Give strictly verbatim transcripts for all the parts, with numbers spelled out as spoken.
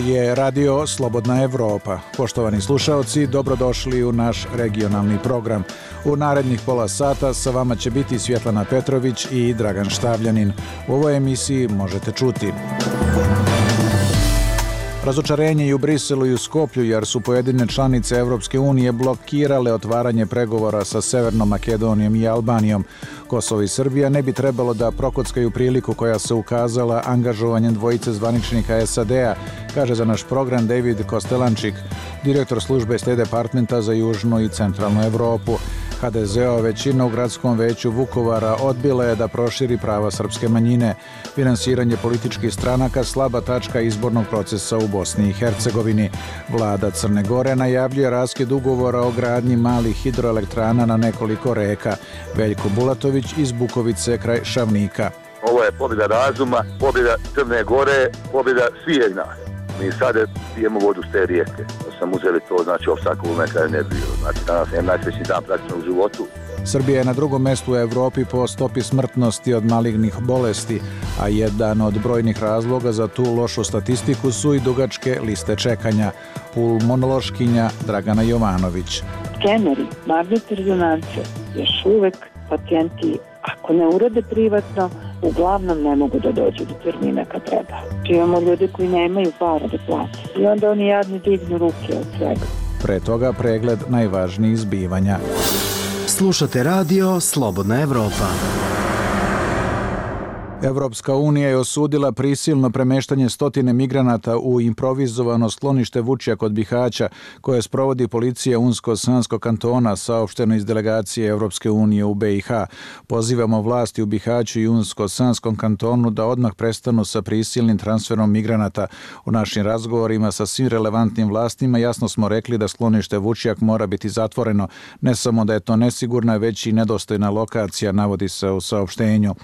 je Radio Slobodna Evropa. Poštovani slušaoci, dobrodošli u naš regionalni program. U narednih pola sata sa vama će biti Svjetlana Petrović i Dragan Štavljanin. U ovoj emisiji možete čuti: razočarenje i u Briselu i u Skoplju jer su pojedine članice Evropske unije blokirale otvaranje pregovora sa Severnom Makedonijom i Albanijom. Kosovo i Srbija ne bi trebalo da prokockaju priliku koja se ukazala angažovanjem dvojice zvaničnika es a de a, kaže za naš program David Kostelančik, direktor službe State Departmenta za Južnu i Centralnu Evropu. ha de ze-ova većina u gradskom veću Vukovara odbila je da proširi prava srpske manjine. Finansiranje političkih stranaka slaba tačka izbornog procesa u Bosni i Hercegovini. Vlada Crne Gore najavljuje raskid ugovora o gradnji malih hidroelektrana na nekoliko reka. Veljko Bulatović iz Bukovice kraj Šavnika. Ovo je pobjeda razuma, pobjeda Crne Gore, pobjeda svih nas. Mi sada pijemo vodu s te rijeke. Da sam uzeli to, znači, opstakovu neka energiju. Znači, danas je najsvećniji dan praktično u životu. Srbija je na drugom mestu u Evropi po stopi smrtnosti od malignih bolesti, a jedan od brojnih razloga za tu lošu statistiku su i dugačke liste čekanja. Pulmonološkinja Dragana Jovanović. Skeneri, magnetne rezonance, još uvek pacijenti, ako ne urade privatno, uglavnom ne mogu da dođu do termina kad treba. Imamo ljude koji nemaju para da plate i onda oni jadni dignu ruke od svega. Pre toga pregled najvažnijih zbivanja. Slušate radio Slobodna Evropa. Evropska unija je osudila prisilno premeštanje stotine migranata u improvizovano sklonište Vučja kod Bihaća, koje sprovodi policija Unsko-Sanskog kantona, saopšteno iz delegacije Evropske unije u be i ha. Pozivamo vlasti u Bihaću i Unsko-Sanskom kantonu da odmah prestanu sa prisilnim transferom migranata. U našim razgovorima sa svim relevantnim vlastima jasno smo rekli da sklonište Vučjak mora biti zatvoreno. Ne samo da je to nesigurna, već i nedostojna lokacija, navodi se u saopštenju.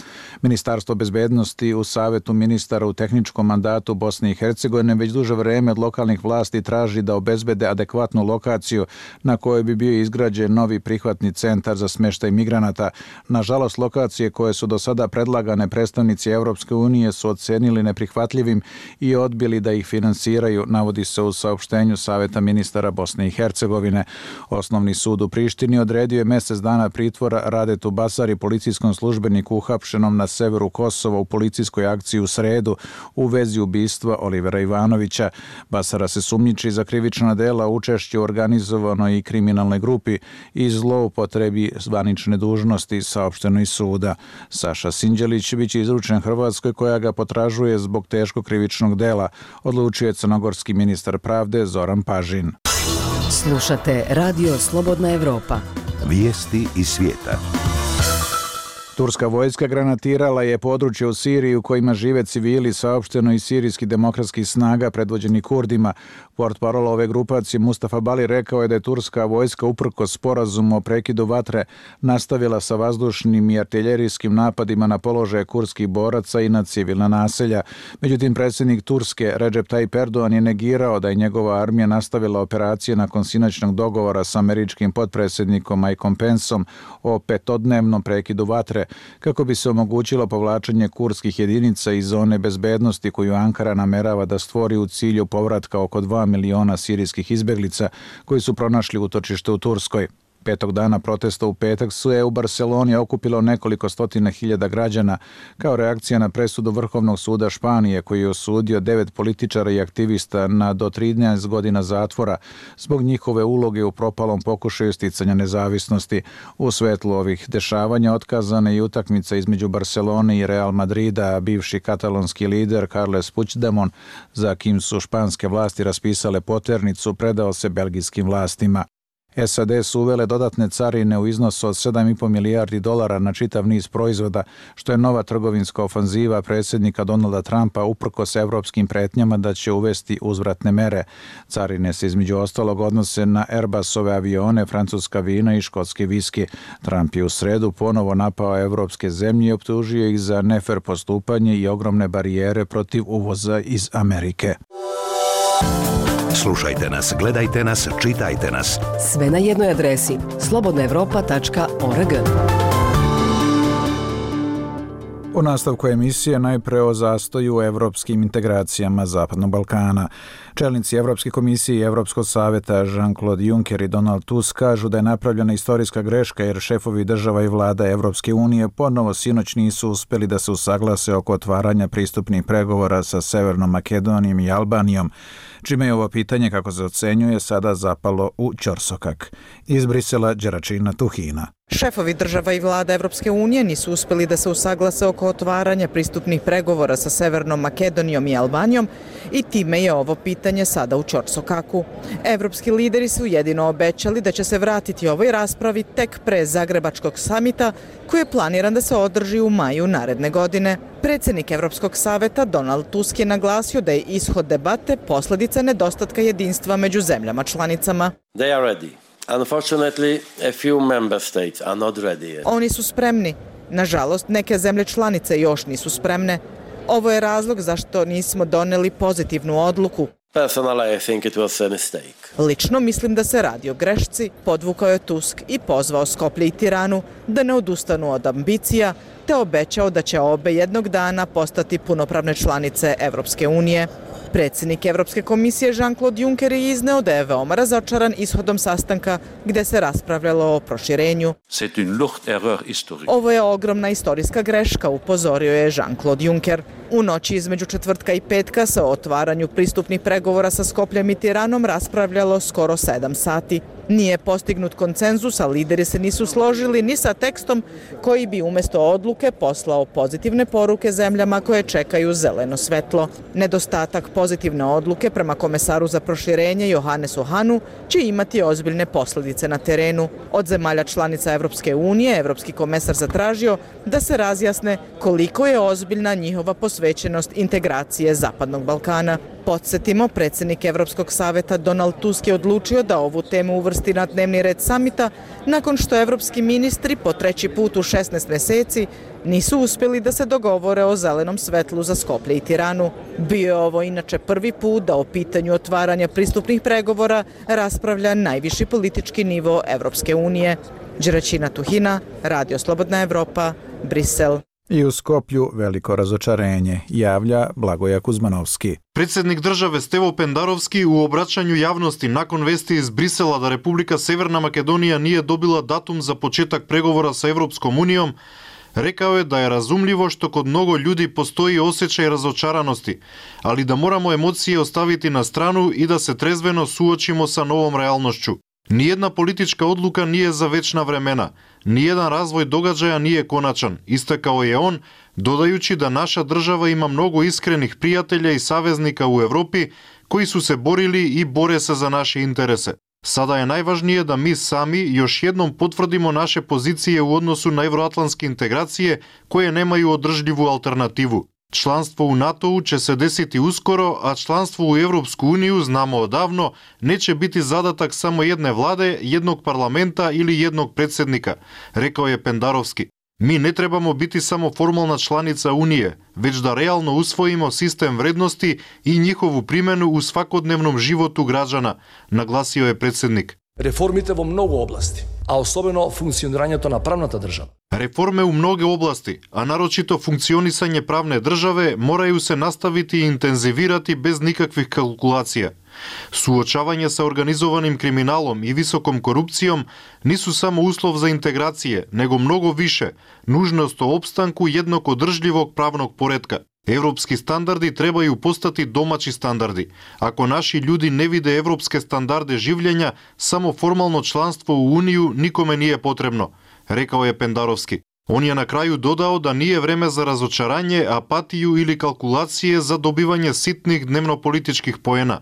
Ministarstvo bezbednosti u Savetu ministara u tehničkom mandatu Bosne i Hercegovine već duže vreme od lokalnih vlasti traži da obezbede adekvatnu lokaciju na kojoj bi bio izgrađen novi prihvatni centar za smještaj migranata. Nažalost, lokacije koje su do sada predlagane predstavnici Evropske unije su ocenili neprihvatljivim i odbili da ih finansiraju, navodi se u saopštenju Saveta ministara Bosne i Hercegovine. Osnovni sud u Prištini odredio je mjesec dana pritvora Radetu Basari, policijskom službeniku uhapšenom na severu Kosova u policijskoj akciji u sredu u vezi ubistva Olivera Ivanovića. Basara se sumnjiči za krivična dela, učešće u organizovanoj i kriminalnoj grupi i zloupotrebi zvanične dužnosti, saopšteno iz suda. Saša Sinđelić biće izručen Hrvatskoj koja ga potražuje zbog teškog krivičnog dela, odlučio je crnogorski ministar pravde Zoran Pažin. Slušate radio Slobodna Evropa. Vijesti iz svijeta. Turska vojska granatirala je područje u Siriji u kojima žive civili, saopšteno iz sirijskih demokratskih snaga predvođeni Kurdima. Portparol ove grupacije Mustafa Bali rekao je da je turska vojska uprkos sporazumu o prekidu vatre nastavila sa vazdušnim i artiljerijskim napadima na položaje kurdskih boraca i na civilna naselja. Međutim, predsjednik Turske Recep Tayyip Erdogan je negirao da je njegova armija nastavila operacije nakon sinoćnog dogovora sa američkim potpredsjednikom Mikeom Penceom o petodnevnom prekidu vatre, kako bi se omogućilo povlačenje kurdskih jedinica iz zone bezbednosti koju Ankara namerava da stvori u cilju povratka oko dva miliona sirijskih izbjeglica koji su pronašli utočište u Turskoj. Petog dana protesta u petak su je u Barceloni okupilo nekoliko stotina hiljada građana kao reakcija na presudu Vrhovnog suda Španije koji je osudio devet političara i aktivista na do trinaest godina zatvora zbog njihove uloge u propalom pokušaju sticanja nezavisnosti. U svetlu ovih dešavanja otkazana je utakmica između Barcelone i Real Madrida, a bivši katalonski lider Carles Puigdemont, za kim su španske vlasti raspisale poternicu, predao se belgijskim vlastima. es a de su uvele dodatne carine u iznosu od sedam i po milijardi dolara na čitav niz proizvoda, što je nova trgovinska ofanziva predsjednika Donalda Trumpa uprkos evropskim pretnjama da će uvesti uzvratne mere. Carine se između ostalog odnose na Airbusove avione, francuska vina i škotski viski. Trump je u sredu ponovo napao evropske zemlje i optužio ih za nefer postupanje i ogromne barijere protiv uvoza iz Amerike. Slušajte nas, gledajte nas, čitajte nas. Sve na jednoj adresi slobodna evropa tačka org. U nastavku emisije najpre o zastoju u evropskim integracijama Zapadnog Balkana. Čelnici Evropske komisije i Evropskog saveta Jean-Claude Juncker i Donald Tusk kažu da je napravljena istorijska greška jer šefovi država i vlada Evropske unije ponovo sinoć nisu uspeli da se usaglase oko otvaranja pristupnih pregovora sa Severnom Makedonijom i Albanijom, čime je ovo pitanje, kako se ocenjuje, sada zapalo u ćorsokak. Iz Brisela, Đeračina Tuhina. Šefovi država i vlada Evropske unije nisu uspeli da se usaglase oko otvaranja pristupnih pregovora sa Severnom Makedonijom i Albanijom i time je ovo pitanje sada u ćorsokaku. Evropski lideri su jedino obećali da će se vratiti ovoj raspravi tek pre Zagrebačkog samita koji je planiran da se održi u maju naredne godine. Predsjednik Evropskog saveta Donald Tusk je naglasio da je ishod debate posljedica nedostatka jedinstva među zemljama članicama. They are ready. Unfortunately, a few member states are not ready yet. Oni su spremni. Nažalost, neke zemlje članice još nisu spremne. Ovo je razlog zašto nismo doneli pozitivnu odluku. Personally, I think it was a mistake. Lično mislim da se radi o grešci, podvukao je Tusk i pozvao Skoplje i Tiranu da ne odustanu od ambicija, te obećao da će obe jednog dana postati punopravne članice Evropske unije. Predsjednik Evropske komisije Jean-Claude Juncker je izneo da je veoma razočaran ishodom sastanka gdje se raspravljalo o proširenju. Ovo je ogromna istorijska greška, upozorio je Jean-Claude Juncker. U noći između četvrtka i petka se o otvaranju pristupnih pregovora sa Skopljem i Tiranom raspravljalo skoro sedam sati. Nije postignut konsenzus, a lideri se nisu složili ni sa tekstom koji bi umjesto odluke poslao pozitivne poruke zemljama koje čekaju zeleno svetlo. Nedostatak pozitivne odluke prema komesaru za proširenje Johannesu Hahnu će imati ozbiljne posljedice na terenu. Od zemalja članica Evropske unije, Evropski komesar zatražio da se razjasne koliko je ozbiljna njihova posvećenost integracije Zapadnog Balkana. Podsjetimo, predsjednik Evropskog saveta Donald Tusk je odlučio da ovu temu uvrsti na dnevni red samita nakon što evropski ministri po treći put u šesnaest mjeseci nisu uspjeli da se dogovore o zelenom svetlu za Skoplje i Tiranu. Bio je ovo inače prvi put da o pitanju otvaranja pristupnih pregovora raspravlja najviši politički nivo Evropske unije. Đeračina Tuhina, Radio Slobodna Evropa, Brisel. I u Skoplju veliko razočarenje, javlja Blagoja Kuzmanovski. Predsjednik države Stevo Pendarovski u obraćanju javnosti nakon vesti iz Brisela da Republika Severna Makedonija nije dobila datum za početak pregovora sa Evropskom unijom, rekao je da je razumljivo što kod mnogo ljudi postoji osjećaj razočaranosti, ali da moramo emocije ostaviti na stranu i da se trezveno suočimo sa novom realnošću. Nijedna politička odluka nije za večna vremena, nijedan razvoj događaja nije konačan, istakao je on, dodajući da naša država ima mnogo iskrenih prijatelja i saveznika u Europi koji su se borili i bore se za naše interese. Sada je najvažnije da mi sami još jednom potvrdimo naše pozicije u odnosu na evroatlantske integracije koje nemaju održljivu alternativu. Članstvo u NATO-u će se desiti uskoro, a članstvo u Evropsku uniju, znamo odavno, neće biti zadatak samo jedne vlade, jednog parlamenta ili jednog predsjednika, rekao je Pendarovski. Mi ne trebamo biti samo formalna članica Unije, već da realno usvojimo sistem vrednosti i njihovu primjenu u svakodnevnom životu građana, naglasio je predsjednik. Reformite vo mnogo oblasti, a osobeno funkcioniranje to na pravnata država. Reforme u mnoge oblasti, a naročito funkcionisanje pravne države, moraju se nastaviti i intenzivirati bez nikakvih kalkulacija. Suočavanje sa organizovanim kriminalom i visokom korupcijom nisu samo uslov za integracije, nego mnogo više, nužnost o opstanku jednog održljivog pravnog poretka. Evropski standardi trebaju postati domaći standardi. Ako naši ljudi ne vide evropske standarde življenja, samo formalno članstvo u Uniju nikome nije potrebno, rekao je Pendarovski. On je na kraju dodao da nije vreme za razočaranje, apatiju ili kalkulacije za dobivanje sitnih dnevno-političkih poena.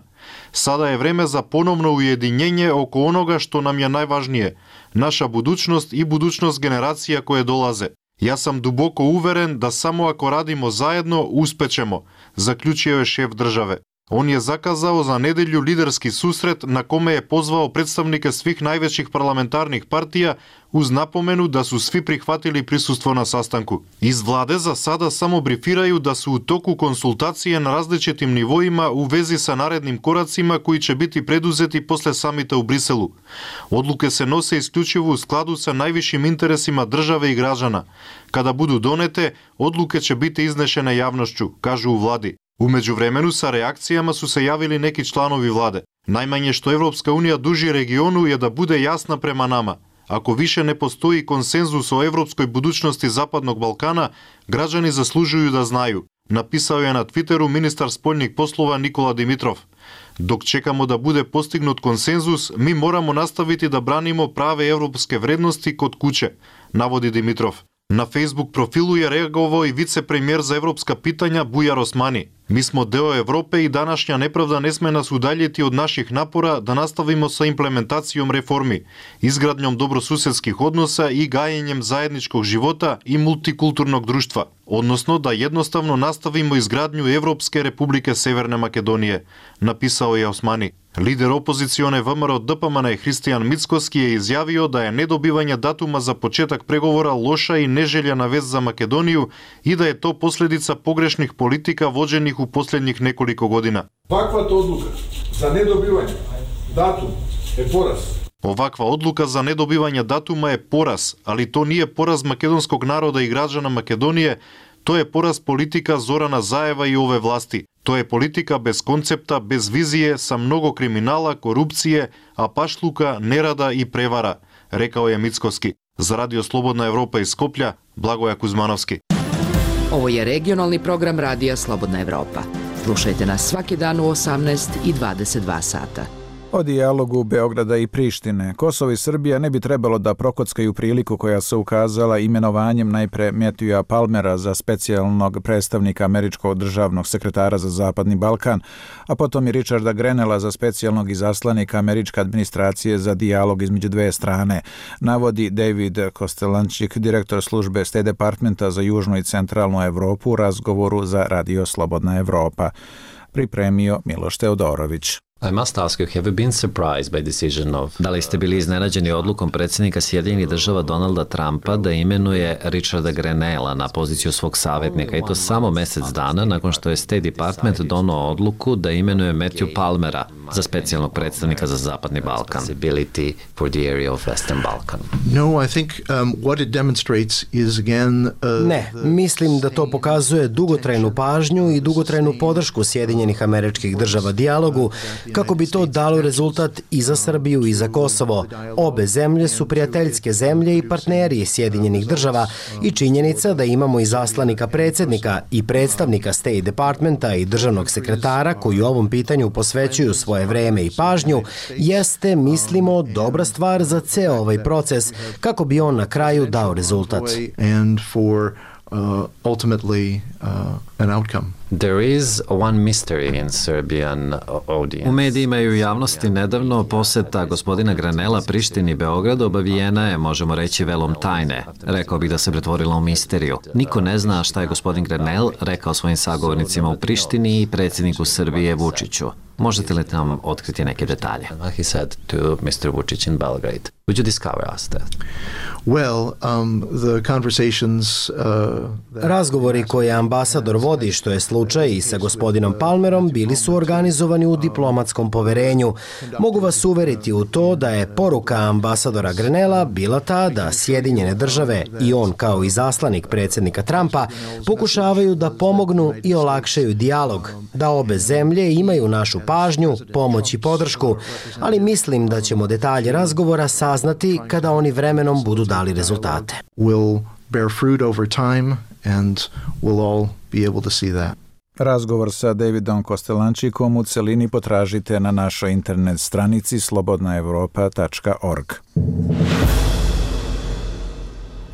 Sada je vreme za ponovno ujedinjenje oko onoga što nam je najvažnije, naša budućnost i budućnost generacija koje dolaze. Ja sam duboko uveren da samo ako radimo zajedno uspećemo, zaključio je šef države. On je zakazao za nedelju liderski susret na kome je pozvao predstavnike svih najvećih parlamentarnih partija uz napomenu da su svi prihvatili prisustvo na sastanku. Iz vlade za sada samo brifiraju da su u toku konsultacije na različitim nivoima u vezi sa narednim koracima koji će biti preduzeti posle samita u Briselu. Odluke se nose isključivo u skladu sa najvišim interesima države i građana. Kada budu donete, odluke će biti iznešene javnošću, kažu u vladi. U međuvremenu sa reakcijama su se javili neki članovi vlade. Najmanje što Evropska unija duži regionu je da bude jasna prema nama. Ako više ne postoji konsenzus o evropskoj budućnosti Zapadnog Balkana, građani zaslužuju da znaju, napisao je na Twitteru ministar spoljnih poslova Nikola Dimitrov. Dok čekamo da bude postignut konsenzus, mi moramo nastaviti da branimo prave evropske vrednosti kod kuće, navodi Dimitrov. Na Facebook profilu je reagovao i vicepremijer za evropska pitanja Bujar Osmani. Mi smo deo Evrope i današnja nepravda ne sme nas udaljiti od naših napora da nastavimo sa implementacijom reformi, izgradnjom dobrosusedskih odnosa i gajenjem zajedničkog života i multikulturnog društva, odnosno da jednostavno nastavimo izgradnju Evropske republike Severne Makedonije, napisao je Osmani. Lider opozicione V M R O D P M N Hristijan Mickoski je izjavio da je nedobivanje datuma za početak pregovora loša i neželjena vest za Makedoniju i da je to posljedica pogrešnih politika vođenih u posljednjih nekoliko godina. Ovakva odluka za nedobivanje datuma je poraz. Ovakva odluka za nedobivanje datuma je poraz, ali to nije poraz makedonskog naroda i građana Makedonije, to je poraz politika Zorana Zajeva i ove vlasti. To je politika bez koncepta, bez vizije, sa mnogo kriminala, korupcije, apašluka, nerada i prevara, rekao je Mickoski. Za Radio Slobodna Evropa iz Skoplja, Blagoja Kuzmanovski. Ovo je regionalni program Radija Slobodna Evropa. Slušajte nas svaki dan u osamnaest i dvadeset dva sata. O dijalogu Beograda i Prištine. Kosovo i Srbija ne bi trebalo da prokockaju priliku koja se ukazala imenovanjem najpre Matthewa Palmera za specijalnog predstavnika američkog državnog sekretara za Zapadni Balkan, a potom i Richarda Grenella za specijalnog izaslanika američke administracije za dijalog između dve strane, navodi David Kostelančik, direktor službe State Departmenta za Južnu i Centralnu Evropu u razgovoru za Radio Slobodna Evropa. Pripremio Miloš Teodorović. I must ask you, have you been surprised by decision of... Da li ste bili iznenađeni odlukom predsjednika Sjedinjenih država Donalda Trumpa da imenuje Richarda Grenella na poziciju svog savjetnika i to samo mjesec dana nakon što je State Department donao odluku da imenuje Matthew Palmera za specijalnog predstavnika za Zapadni Balkan. For the area of Western Balkan. No, I think um, what it demonstrates is again... Uh, ne, mislim da to pokazuje dugotrajnu pažnju i dugotrajnu podršku Sjedinjenih Američkih Država dijalogu kako bi to dalo rezultat i za Srbiju i za Kosovo. Obe zemlje su prijateljske zemlje i partneri Sjedinjenih Država i činjenica da imamo izaslanika predsjednika i predstavnika State Departmenta i državnog sekretara koji u ovom pitanju posvećuju svoje vreme i pažnju jeste, mislimo, dobra stvar za ceo ovaj proces kako bi on na kraju dao rezultat. And for uh, ultimately uh, an outcome. There is one mystery in Serbian audience. U medijima i u javnosti nedavno poseta gospodina Grenella Prištini i Beogradu obavijena je, možemo reći, velom tajne. Rekao bih da se pretvorila u misteriju. Niko ne zna šta je gospodin Grenell rekao svojim sagovornicima u Prištini i predsjedniku Srbije Vučiću. Možete li nam otkriti neke detalje? He said to mister Vučić in Belgrade. Would you discover us that? Well, um, the conversations... Uh, Razgovori koje ambasador vodi, što je slučaj i sa gospodinom Palmerom, bili su organizovani u diplomatskom poverenju. Mogu vas uveriti u to da je poruka ambasadora Grenella bila ta da Sjedinjene države i on kao izaslanik predsjednika Trumpa pokušavaju da pomognu i olakšaju dijalog, da obe zemlje imaju našu pažnju, pomoć i podršku, ali mislim da ćemo detalje razgovora saznati kada oni vremenom budu dali rezultate. Will bear fruit over time and we'll all be able to see that. Razgovor sa Davidom Kostelančikom u celini potražite na našoj internet stranici slobodna evropa tačka org.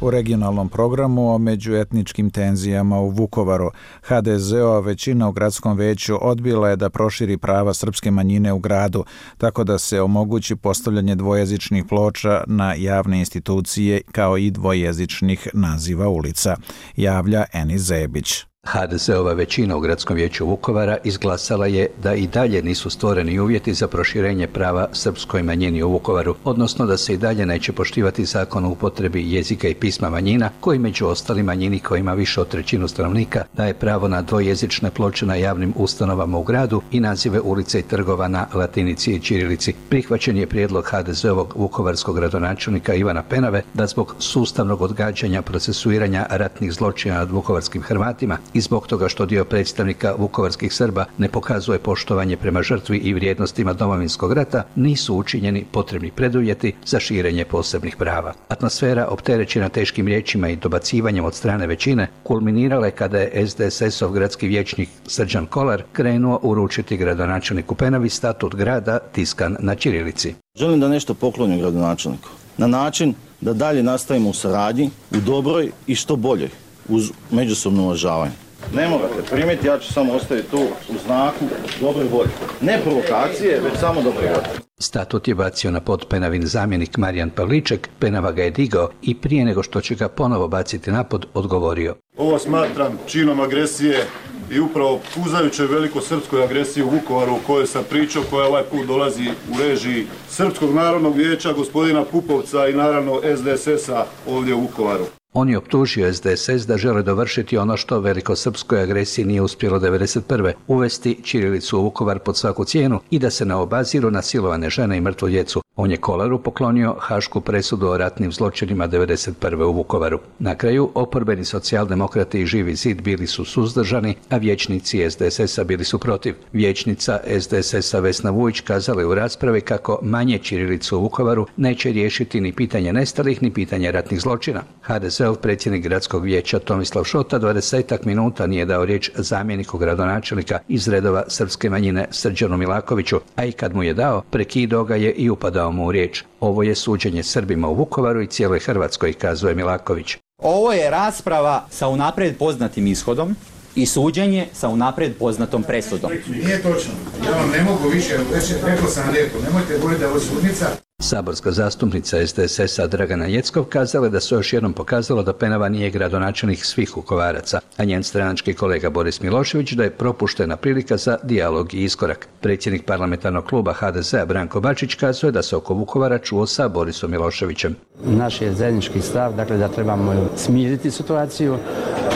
U regionalnom programu o međuetničkim tenzijama u Vukovaru, ha de ze-ova većina u gradskom veću odbila je da proširi prava srpske manjine u gradu, tako da se omogući postavljanje dvojezičnih ploča na javne institucije kao i dvojezičnih naziva ulica, javlja Eni Zebić. ha de ze-ova većina u gradskom vijeću Vukovara izglasala je da i dalje nisu stvoreni uvjeti za proširenje prava srpskoj manjini u Vukovaru, odnosno da se i dalje neće poštivati zakon o upotrebi jezika i pisma manjina, koji među ostalim manjini koja ima više od trećinu stanovnika daje pravo na dvojezične ploče na javnim ustanovama u gradu i nazive ulica i trgova na latinici i ćirilici. Prihvaćen je prijedlog ha de ze-ovog vukovarskog gradonačelnika Ivana Penave da zbog sustavnog odgađanja procesuiranja ratnih zločina nad vukovarskim Hrvatima i zbog toga što dio predstavnika vukovarskih Srba ne pokazuje poštovanje prema žrtvi i vrijednostima Domovinskog rata, nisu učinjeni potrebni preduvjeti za širenje posebnih prava. Atmosfera opterećena teškim riječima i dobacivanjem od strane većine kulminirala je kada je es de es es-ov gradski vijećnik Srđan Kolar krenuo uručiti gradonačelniku Penavi statut grada tiskan na ćirilici. Želim da nešto poklonim gradonačelniku na način da dalje nastavimo u saradnji, u dobroj i što boljoj, uz međusobno uvažavanje. Ne morate primiti, ja ću samo ostaviti tu u znaku dobre volje. Ne provokacije, već samo dobre volje. Statut je bacio na pod Penavin zamjenik Marijan Pavliček, Penava ga je digao i prije nego što će ga ponovo baciti na pod, odgovorio. Ovo smatram činom agresije i upravo puzajućoj velikosrpskoj agresiji u Vukovaru o kojoj sam pričao, koja ovaj put dolazi u režiji Srpskog narodnog vijeća, gospodina Pupovca i naravno es de es es-a ovdje u Vukovaru. On je optužio es de es es da žele dovršiti ono što velikosrpskoj agresiji nije uspjelo devedeset prve uvesti ćirilicu u Vukovar pod svaku cijenu i da se ne obaziru na silovane žene i mrtvu djecu. On je Kolaru poklonio hašku presudu o ratnim zločinima devedeset prve u Vukovaru. Na kraju, oporbeni socijaldemokrati i Živi zid bili su suzdržani, a vijećnici es de es es-a bili su protiv. Vijećnica es de es es-a Vesna Vujić kazala je u raspravi kako manje ćirilicu u Vukovaru neće riješiti ni pitanje nestalih, ni pitanje ratnih zločina. ha de ze-ov predsjednik gradskog vijeća Tomislav Šota dvadesetak minuta nije dao riječ zamjeniku gradonačelnika iz redova srpske manjine Srđanu Milakoviću, a i kad mu je dao, prekidao ga je i upadao mu u riječ. Ovo je suđenje Srbima u Vukovaru i cijeloj Hrvatskoj, kazuje Milaković. Ovo je rasprava sa unaprijed poznatim ishodom i suđenje sa unaprijed poznatom presudom. Nije točno. Ja vam ne mogu više, već rekao sam lijepo, nemojte govoriti da je ovo sudnica. Saborska zastupnica es de es es-a Dragana Jeckov kazala da se još jednom pokazalo da Penava nije gradonačelnik svih Vukovaraca, a njen stranački kolega Boris Milošević da je propuštena prilika za dijalog i iskorak. Predsjednik parlamentarnog kluba ha de ze-a Branko Bačić kazuje da se oko Vukovara čuo sa Borisom Miloševićem. Naš je zajednički stav, dakle da trebamo smiriti situaciju.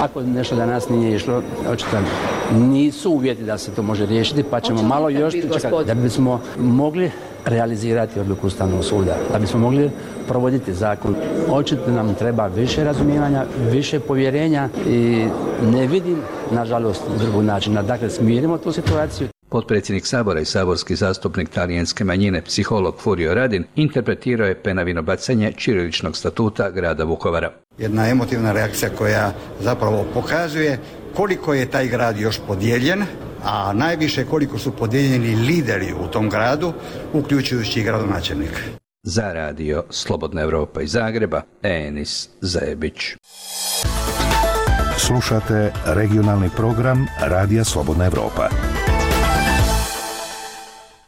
Ako nešto danas nije išlo, očito nisu uvjeti da se to može riješiti, pa ćemo malo još čekati da bismo mogli realizirati odluku Ustavnog suda, da bismo mogli provoditi zakon. Očito nam treba više razumijevanja, više povjerenja i ne vidim, nažalost, drugog načina. Dakle, smirimo tu situaciju. Potpredsjednik Sabora i saborski zastupnik talijanske manjine, psiholog Furio Radin, interpretirao je Penavino bacanje ćiriličnog statuta grada Vukovara. Jedna emotivna reakcija koja zapravo pokazuje koliko je taj grad još podijeljen, a najviše koliko su podijeljeni lideri u tom gradu, uključujući i gradonačelnika. Za radio Slobodna Evropa iz Zagreba, Enis Zebić. Slušate regionalni program Radija Slobodna Evropa.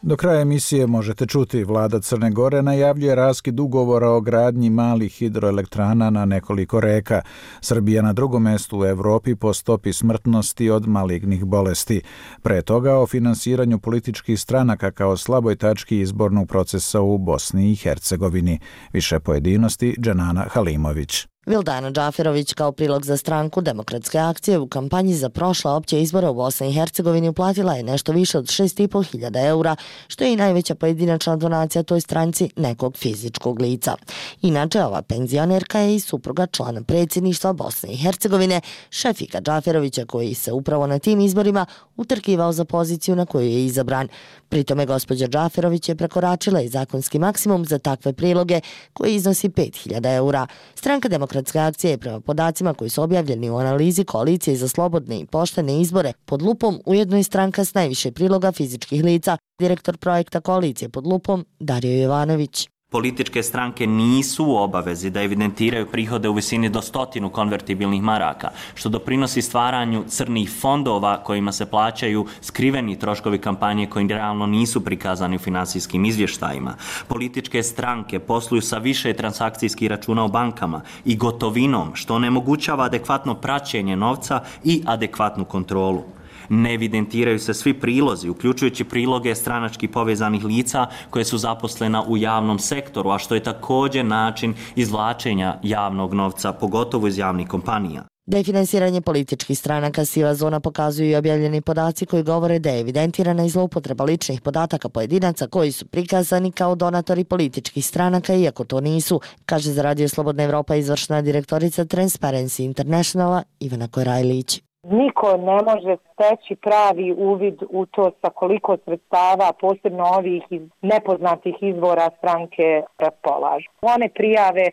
Do kraja emisije možete čuti, vlada Crne Gore najavljuje raskid ugovora o gradnji malih hidroelektrana na nekoliko reka. Srbija na drugom mestu u Evropi po stopi smrtnosti od malignih bolesti. Pre toga o finansiranju političkih stranaka kao slaboj tački izbornog procesa u Bosni i Hercegovini. Više pojedinosti Dženana Halimović. Vildana Džaferović kao prilog za stranku Demokratske akcije u kampanji za prošla opće izbora u Bosni i Hercegovini uplatila je nešto više od šest i po hiljada eura, što je i najveća pojedinačna donacija toj stranci nekog fizičkog lica. Inače, ova penzionerka je i supruga člana predsjedništva Bosne i Hercegovine, Šefika Džaferovića, koji se upravo na tim izborima utrkivao za poziciju na koju je izabran. Pritome gospođa Džaferović je prekoračila i zakonski maksimum za takve priloge koji iznosi pet hiljada eura. Stranka Demokratske akcije je prema podacima koji su objavljeni u analizi koalicije za slobodne i poštene izbore pod lupom ujedno i stranka s najviše priloga fizičkih lica, direktor projekta koalicije pod lupom Dario Jovanović. Političke stranke nisu u obavezi da evidentiraju prihode u visini do stotinu konvertibilnih maraka, što doprinosi stvaranju crnih fondova kojima se plaćaju skriveni troškovi kampanje koji realno nisu prikazani u finansijskim izvještajima. Političke stranke posluju sa više transakcijskih računa u bankama i gotovinom, što onemogućava adekvatno praćenje novca i adekvatnu kontrolu. Ne evidentiraju se svi prilozi, uključujući priloge stranački povezanih lica koje su zaposlena u javnom sektoru, a što je također način izvlačenja javnog novca, pogotovo iz javnih kompanija. Da je finansiranje političkih stranaka siva zona pokazuju i objavljeni podaci koji govore da je evidentirana i zloupotreba ličnih podataka pojedinaca koji su prikazani kao donatori političkih stranaka, iako to nisu, kaže za Radio Slobodna Evropa izvršna direktorica Transparency Internationala Ivana Korajlić. Niko ne može steći pravi uvid u to sa koliko sredstava, posebno ovih iz nepoznatih izvora stranke raspolažu. One prijave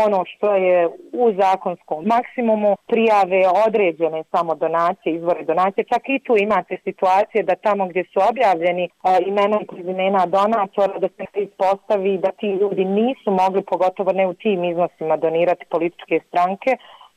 ono što je u zakonskom maksimumu, prijave određene samo donacije, izvore donacije. Čak i tu imate situacije da tamo gdje su objavljeni a, imena i prezimena donatora, da se ispostavi da ti ljudi nisu mogli, pogotovo ne u tim iznosima, donirati političke stranke,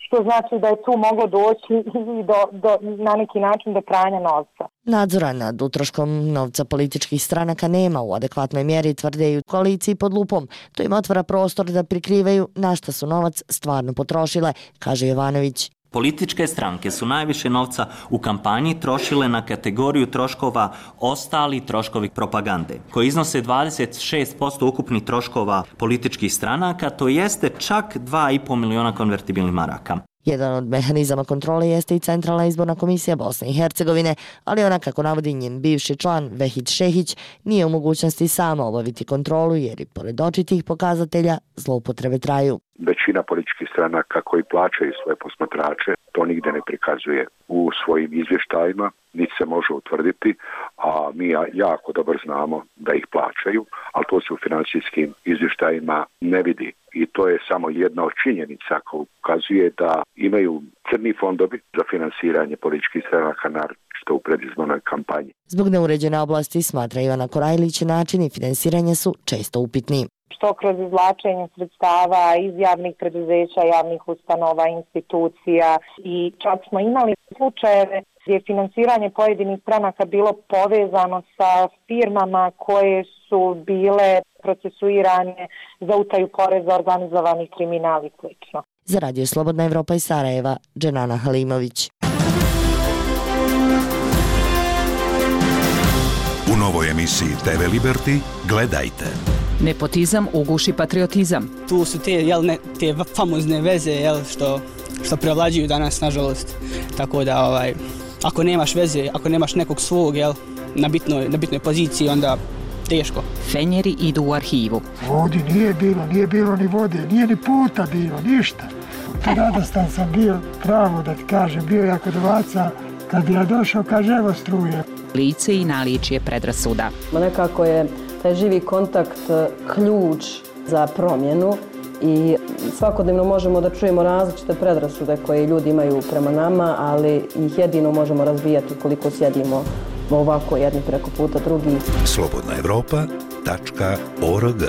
što znači da je tu moglo doći i do, do, na neki način do pranja novca. Nadzora nad utroškom novca političkih stranaka nema u adekvatnoj mjeri, tvrde i u koaliciji pod lupom. To im otvara prostor da prikrivaju na šta su novac stvarno potrošile, kaže Jovanović. Političke stranke su najviše novca u kampanji trošile na kategoriju troškova ostali troškovi propagande, koji iznose dvadeset šest posto ukupnih troškova političkih stranaka, to jeste čak dva i po miliona konvertibilnih maraka. Jedan od mehanizama kontrole jeste i Centralna izborna komisija Bosne i Hercegovine, ali ona, kako navodi njen bivši član Vehid Šehić, nije u mogućnosti sama obaviti kontrolu jer i pored očitih pokazatelja zloupotrebe traju. Većina političkih stranaka koji plaćaju svoje posmatrače to nigde ne prikazuje u svojim izvještajima, niti se može utvrditi, a mi jako dobro znamo da ih plaćaju, ali to se u financijskim izvještajima ne vidi. I to je samo jedna od činjenica koja ukazuje da imaju crni fondovi za finansiranje političkih stranaka, naročito u predizbornoj kampanji. Zbog neuređene oblasti, smatra Ivana Korajlić, načini finansiranja su često upitni. Što kroz izvlačenje sredstava iz javnih preduzeća, javnih ustanova, institucija, i čak smo imali slučajeve gdje je finansiranje pojedinih stranaka bilo povezano sa firmama koje su bile procesuirane za utaju poreza, organizovanih kriminal i slično. Za Radio Slobodna Evropa iz Sarajeva, Dženana Halimović. U novoj emisiji T V Liberty gledajte. Nepotizam uguši patriotizam. Tu su te, jel, ne, te famozne veze, jel, što, što prevlađuju danas, nažalost. Tako da, ovaj, ako nemaš veze, ako nemaš nekog svog, jel, na bitnoj, na bitnoj poziciji, onda teško. Fenjeri idu u arhivu. Ovdje nije bilo, nije bilo ni vode, nije ni puta bilo, ništa. Radostan sam bio, pravo da ti kažem, bio jako dovaca. Kad bi ja došao, kaže, evo struje. Lice i naličje predrasuda. Nekako je taj živi kontakt ključ za promjenu i svakodnevno možemo da čujemo različite predrasude koje ljudi imaju prema nama, ali ih jedino možemo razvijati koliko sjedimo ovako jedni preko puta drugih. slobodna evropa tačka org.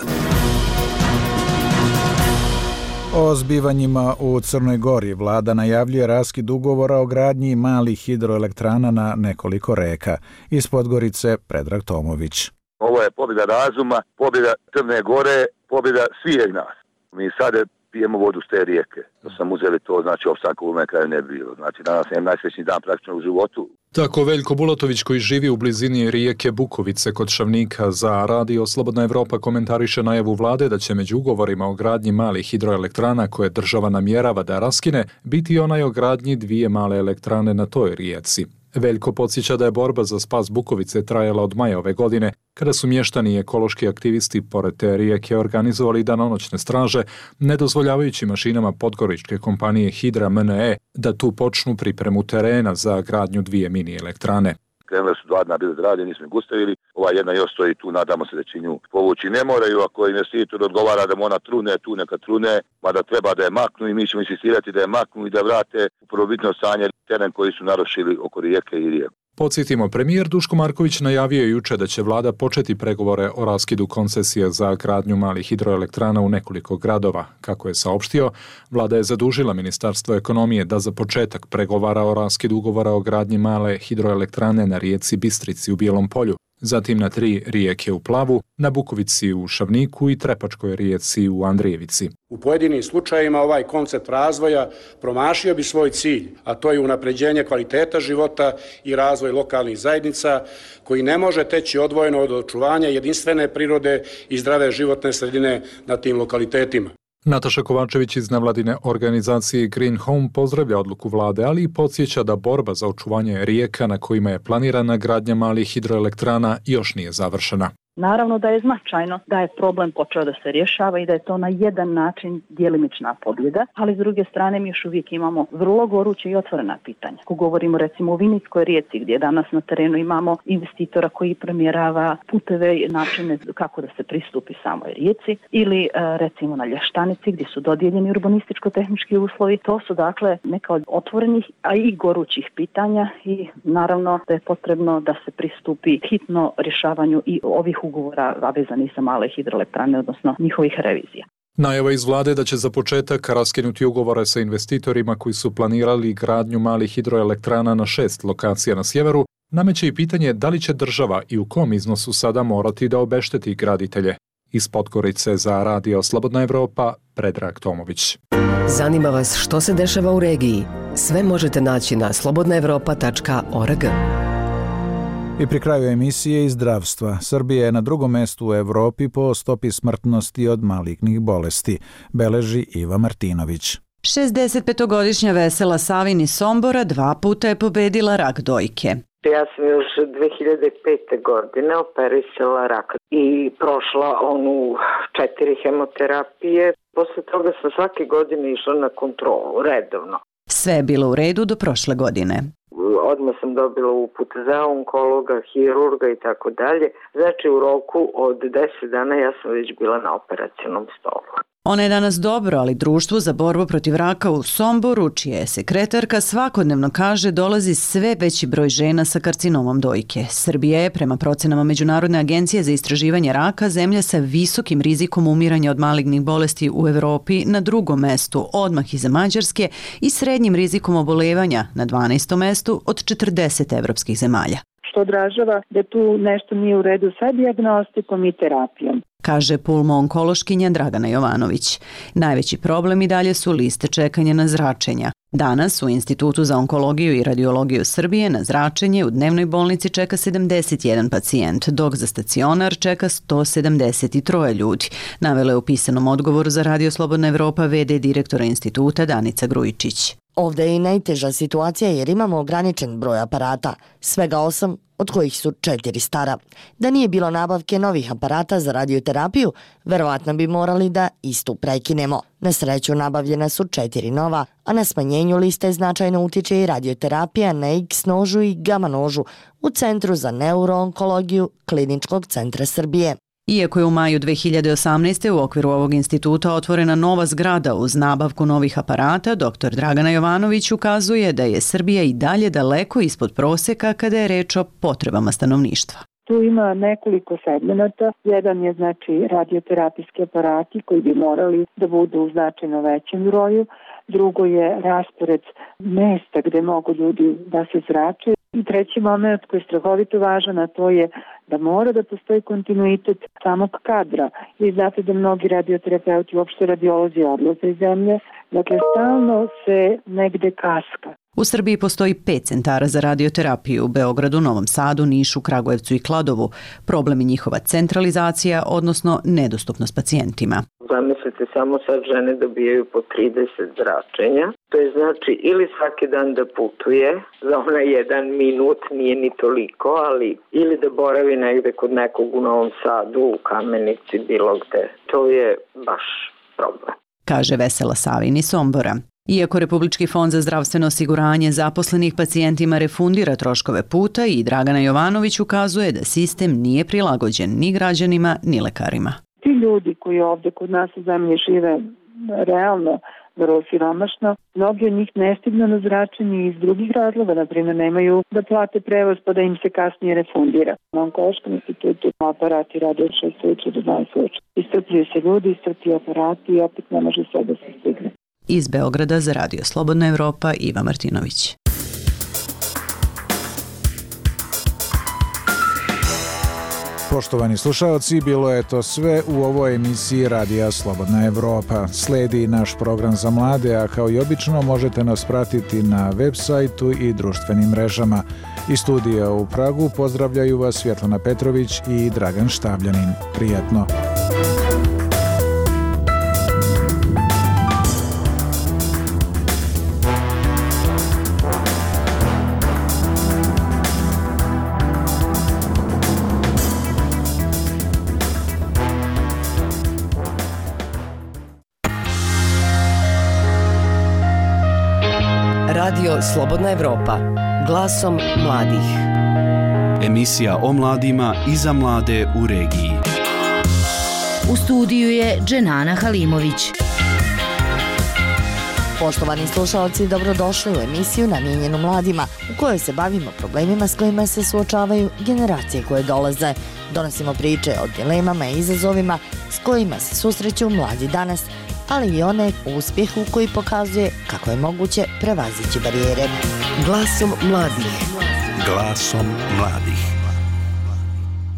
O zbivanjima u Crnoj Gori vlada najavljuje raskid ugovora o gradnji malih hidroelektrana na nekoliko reka. Iz Podgorice Predrag Tomović. Ovo je pobjeda razuma, pobjeda Crne Gore, pobjeda svih nas. Mi sad pijemo vodu s te rijeke. Da sam uzeli to, znači opstanka u kraju ne bi bilo. Znači danas je najsrećniji dan praktično u životu. Tako Veljko Bulatović, koji živi u blizini rijeke Bukovice kod Šavnika, za Radio Slobodna Evropa komentariše najavu vlade da će među ugovorima o gradnji malih hidroelektrana koje država namjerava da raskine biti onaj o gradnji dvije male elektrane na toj rijeci. Veljko podsjeća da je borba za spas Bukovice trajala od maja ove godine, kada su mještani i ekološki aktivisti pored te rijeke organizovali danonoćne straže, ne dozvoljavajući mašinama podgoričke kompanije Hidra M N E da tu počnu pripremu terena za gradnju dvije mini elektrane. Krenule su dva dna bili da rade, nismo ih gustavili. Ova jedna još stoji tu, nadamo se da će nju povući. Ne moraju, ako investitor odgovara da mu ona trune, tu neka trune, mada treba da je maknu i mi ćemo insistirati da je maknu i da vrate u prvobitno stanje teren koji su narušili oko rijeke i rijeku. Podsjetimo, premijer Duško Marković najavio juče da će vlada početi pregovore o raskidu koncesije za gradnju malih hidroelektrana u nekoliko gradova. Kako je saopštio, vlada je zadužila Ministarstvo ekonomije da za početak pregovara o raskidu ugovora o gradnji male hidroelektrane na rijeci Bistrici u Bijelom Polju, zatim na tri rijeke u Plavu, na Bukovici u Šavniku i Trepačkoj rijeci u Andrijevici. U pojedinim slučajevima ovaj koncept razvoja promašio bi svoj cilj, a to je unapređenje kvaliteta života i razvoj lokalnih zajednica, koji ne može teći odvojeno od očuvanja jedinstvene prirode i zdrave životne sredine na tim lokalitetima. Nataša Kovačević iz nevladine organizacije Green Home pozdravlja odluku vlade, ali i podsjeća da borba za očuvanje rijeka na kojima je planirana gradnja malih hidroelektrana još nije završena. Naravno da je značajno da je problem počeo da se rješava i da je to na jedan način djelimična pobjeda, ali s druge strane mi još uvijek imamo vrlo goruće i otvorena pitanja. Ako govorimo recimo o Vinickoj rijeci gdje danas na terenu imamo investitora koji premjerava puteve i načine kako da se pristupi samoj rijeci ili recimo na Lještanici gdje su dodijeljeni urbanističko-tehnički uslovi. To su dakle neka od otvorenih, a i gorućih pitanja i naravno da je potrebno da se pristupi hitno rješavanju i ovih ugovora, a vezani sa male hidroelektrane, odnosno njihovih revizija. Najava iz vlade da će za početak raskinuti ugovore sa investitorima koji su planirali gradnju malih hidroelektrana na šest lokacija na sjeveru, nameće i pitanje da li će država i u kom iznosu sada morati da obešteti graditelje. Iz Podgorice za Radio Slobodna Evropa, Predrag Tomović. Zanima vas što se dešava u regiji? Sve možete naći na slobodna evropa tačka org. I pri kraju emisije iz zdravstva. Srbija je na drugom mestu u Evropi po stopi smrtnosti od malignih bolesti, beleži Iva Martinović. šezdesetpetogodišnja Vesela Savin iz Sombora dva puta je pobedila rak dojke. Ja sam još dve hiljade pete. godine operisala rak i prošla onu četiri hemoterapije. Posle toga sam svake godine išla na kontrolu, redovno. Sve je bilo u redu do prošle godine. Odmah sam dobila uput za onkologa, hirurga i tako dalje. Znači u roku od deset dana ja sam već bila na operacionom stolu. Ona je danas dobro, ali Društvu za borbu protiv raka u Somboru, čija je sekretarka, svakodnevno kaže dolazi sve veći broj žena sa karcinomom dojke. Srbija je, prema procenama Međunarodne agencije za istraživanje raka, zemlja sa visokim rizikom umiranja od malignih bolesti u Evropi na drugom mestu, odmah iza Mađarske, i srednjim rizikom obolevanja na dvanaestom mestu od četrdeset evropskih zemalja. Što odražava da tu nešto nije u redu sa dijagnostikom i terapijom, kaže pulmo-onkološkinja Dragana Jovanović. Najveći problem i dalje su liste čekanja na zračenja. Danas u Institutu za onkologiju i radiologiju Srbije na zračenje u dnevnoj bolnici čeka sedamdeset jedan pacijent, dok za stacionar čeka sto sedamdeset tri ljudi, navela je u pisanom odgovoru za Radio Slobodna Evropa ve de direktora instituta Danica Grujičić. Ovdje je i najteža situacija jer imamo ograničen broj aparata, svega osam, od kojih su četiri stara. Da nije bilo nabavke novih aparata za radioterapiju, verovatno bi morali da istu prekinemo. Na sreću nabavljena su četiri nova, a na smanjenju liste značajno utiče i radioterapija na X nožu i gamma nožu u Centru za neuroonkologiju Kliničkog centra Srbije. Iako je u maju dve hiljade osamnaeste. u okviru ovog instituta otvorena nova zgrada uz nabavku novih aparata, doktor Dragana Jovanović ukazuje da je Srbija i dalje daleko ispod proseka kada je reč o potrebama stanovništva. Tu ima nekoliko segmenata. Jedan je znači radioterapijski aparati koji bi morali da budu u značajno većem broju. Drugo je raspored mesta gde mogu ljudi da se zrače. I treći moment koji je strahovito važan, a to je da mora da postoji kontinuitet samog kadra. Vi znate da mnogi radioterapeuti, uopšte radiolozi, odlaze iz zemlje. Dakle, stalno se negde kaska. U Srbiji postoji pet centara za radioterapiju u Beogradu, Novom Sadu, Nišu, Kragujevcu i Kladovu. Problem je njihova centralizacija, odnosno nedostupnost pacijentima. Zamislite, samo sad žene dobijaju po trideset zračenja. To je znači ili svaki dan da putuje, za onaj jedan minut nije ni toliko, ali ili da boravi negde kod nekog u Novom Sadu, u Kamenici, bilo gde. To je baš problem. Kaže Vesela Savin iz Sombora. Iako Republički fond za zdravstveno osiguranje zaposlenih pacijentima refundira troškove puta, i Dragana Jovanović ukazuje da sistem nije prilagođen ni građanima ni lekarima. Ti ljudi koji ovdje kod nas u zemlji žive realno vrlo siromašno, mnogi od njih ne stignu na zračenje iz drugih razloga, na primjer nemaju da plate prevoz pa da im se kasnije refundira. Na Onkološkom institutu aparati rade od šest slučaja do dvanaest slučaja. Iscrpljuju se ljudi, iscrpljuju aparati i opet ne može sve da se stigne. Iz Beograda za Radio Slobodna Evropa, Iva Martinović. Poštovani slušaoci, bilo je to sve u ovoj emisiji Radija Slobodna Evropa. Sledi naš program za mlade, a kao i obično možete nas pratiti na web sajtu i društvenim mrežama. Iz studija u Pragu pozdravljaju vas Svjetlana Petrović i Dragan Štabljanin. Prijatno! Radio Slobodna Evropa. Glasom mladih. Emisija o mladima i za mlade u regiji. U studiju je Dženana Halimović. Poštovani slušalci, dobrodošli u emisiju namijenjenu mladima, u kojoj se bavimo problemima s kojima se suočavaju generacije koje dolaze. Donosimo priče o dilemama i izazovima s kojima se susreću mladi danas, ali i one uspjehu koji pokazuje kako je moguće prevazići barijere. Glasom mladih. Glasom mladih.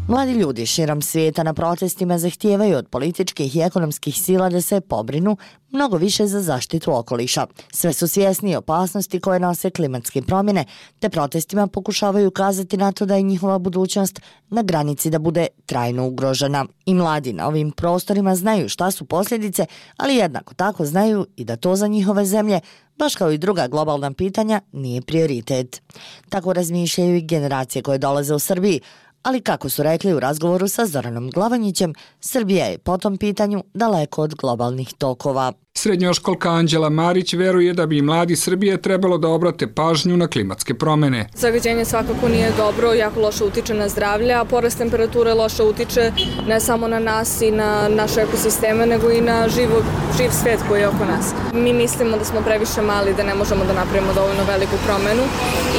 Mladi ljudi širom svijeta na protestima zahtijevaju od političkih i ekonomskih sila da se pobrinu mnogo više za zaštitu okoliša. Sve su svjesni opasnosti koje nose klimatske promjene, te protestima pokušavaju ukazati na to da je njihova budućnost na granici da bude trajno ugrožena. I mladi na ovim prostorima znaju šta su posljedice, ali jednako tako znaju i da to za njihove zemlje, baš kao i druga globalna pitanja, nije prioritet. Tako razmišljaju i generacije koje dolaze u Srbiji, ali kako su rekli u razgovoru sa Zoranom Glavanjićem, Srbija je po tom pitanju daleko od globalnih tokova. Srednjoškolka Anđela Marić veruje da bi mladi Srbije trebalo da obrate pažnju na klimatske promjene. Zagađenje svakako nije dobro, jako loše utiče na zdravlje, a porast temperature loše utiče ne samo na nas i na naše ekosisteme, nego i na živo, živ svijet koji je oko nas. Mi mislimo da smo previše mali, da ne možemo da napravimo dovoljno veliku promjenu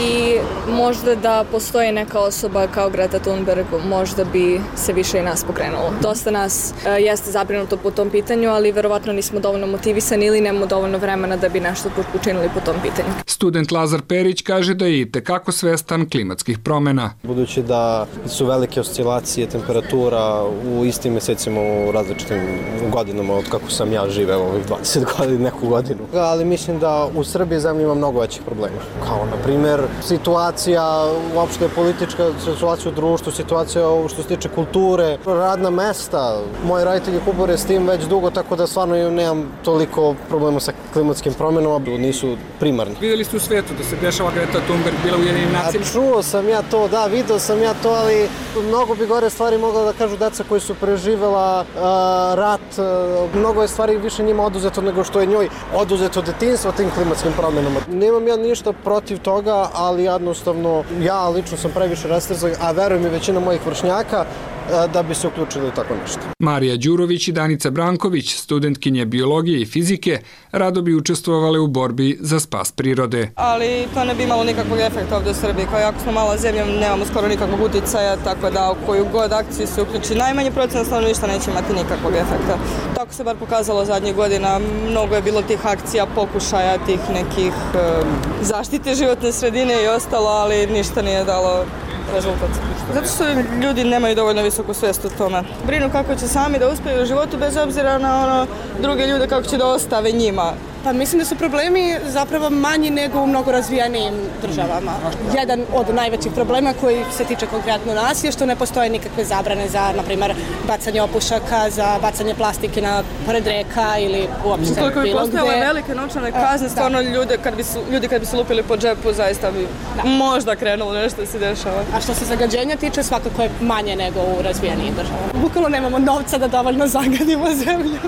i možda da postoji neka osoba kao Greta Thunberg, možda bi se više i nas pokrenulo. Dosta nas e, jeste zabrinuto po tom pitanju, ali verovatno nismo dovoljno motivisani ili nemamo dovoljno vremena da bi nešto učinili po tom pitanju. Student Lazar Perić kaže da je itekako svestan klimatskih promjena. Budući da su velike oscilacije temperatura u istim mjesecima u različitim godinama od kako sam ja živeo ovih dvadeset godina, neku godinu. Ali mislim da u Srbiji zemlji ima mnogo većih problema. Kao na primjer situacija, uopšte politička situacija u društvu, situacija što se tiče kulture, radna mesta. Moji roditelji kubore s tim već dugo, tako da stvarno nemam toliko problema sa klimatskim promjenama, nisu primarni. Vidjeli ste u svijetu da se dešava Greta Thunberg bila u Ujedinjenim nacijama? Čuo sam ja to, da, vidio sam ja to, ali mnogo bi gore stvari mogla da kažu deca koji su preživjela uh, rat. Uh, mnogo je stvari više njima oduzeto nego što je njoj oduzeto detinjstvo tim klimatskim promjenama. Nemam ja ništa protiv toga, ali jednostavno ja lično sam previše rastrzan, a verujem i većina mojih vršnjaka da bi se uključili u tako nešto. Marija Đurović i Danica Branković, studentkinje biologije i fizike, rado bi učestvovale u borbi za spas prirode. Ali to ne bi imalo nikakvog efekta ovdje u Srbiji. Kao jako smo mala zemlja, nemamo skoro nikakvog uticaja, tako da u koju god akciju se uključi najmanje procena stanovništva neće imati nikakvog efekta. Tako se bar pokazalo zadnjih godina. Mnogo je bilo tih akcija, pokušaja, tih nekih e, zaštite životne sredine i ostalo, ali ništa nije dalo rezultat. Zato što ljudi nemaju dovoljno visoku svijest o tome. Brinu kako će sami da uspiju u životu bez obzira na ono druge ljude kako će da ostave njima. Pa mislim da su problemi zapravo manji nego u mnogo razvijenijim državama. Jedan od najvećih problema koji se tiče konkretno nas je što ne postoje nikakve zabrane za, na primjer, bacanje opušaka, za bacanje plastike na pored reka ili uopšte bilo gdje. Koliko bi postojale velike novčane kazne, stvarno ljude kad bi su, ljudi kad bi se lupili po džepu, zaista bi da. možda krenulo nešto da se dešava. A što se zagađenja tiče, svakako je manje nego u razvijenijim državama. Bukvalno nemamo novca da dovoljno zagadimo zemlju.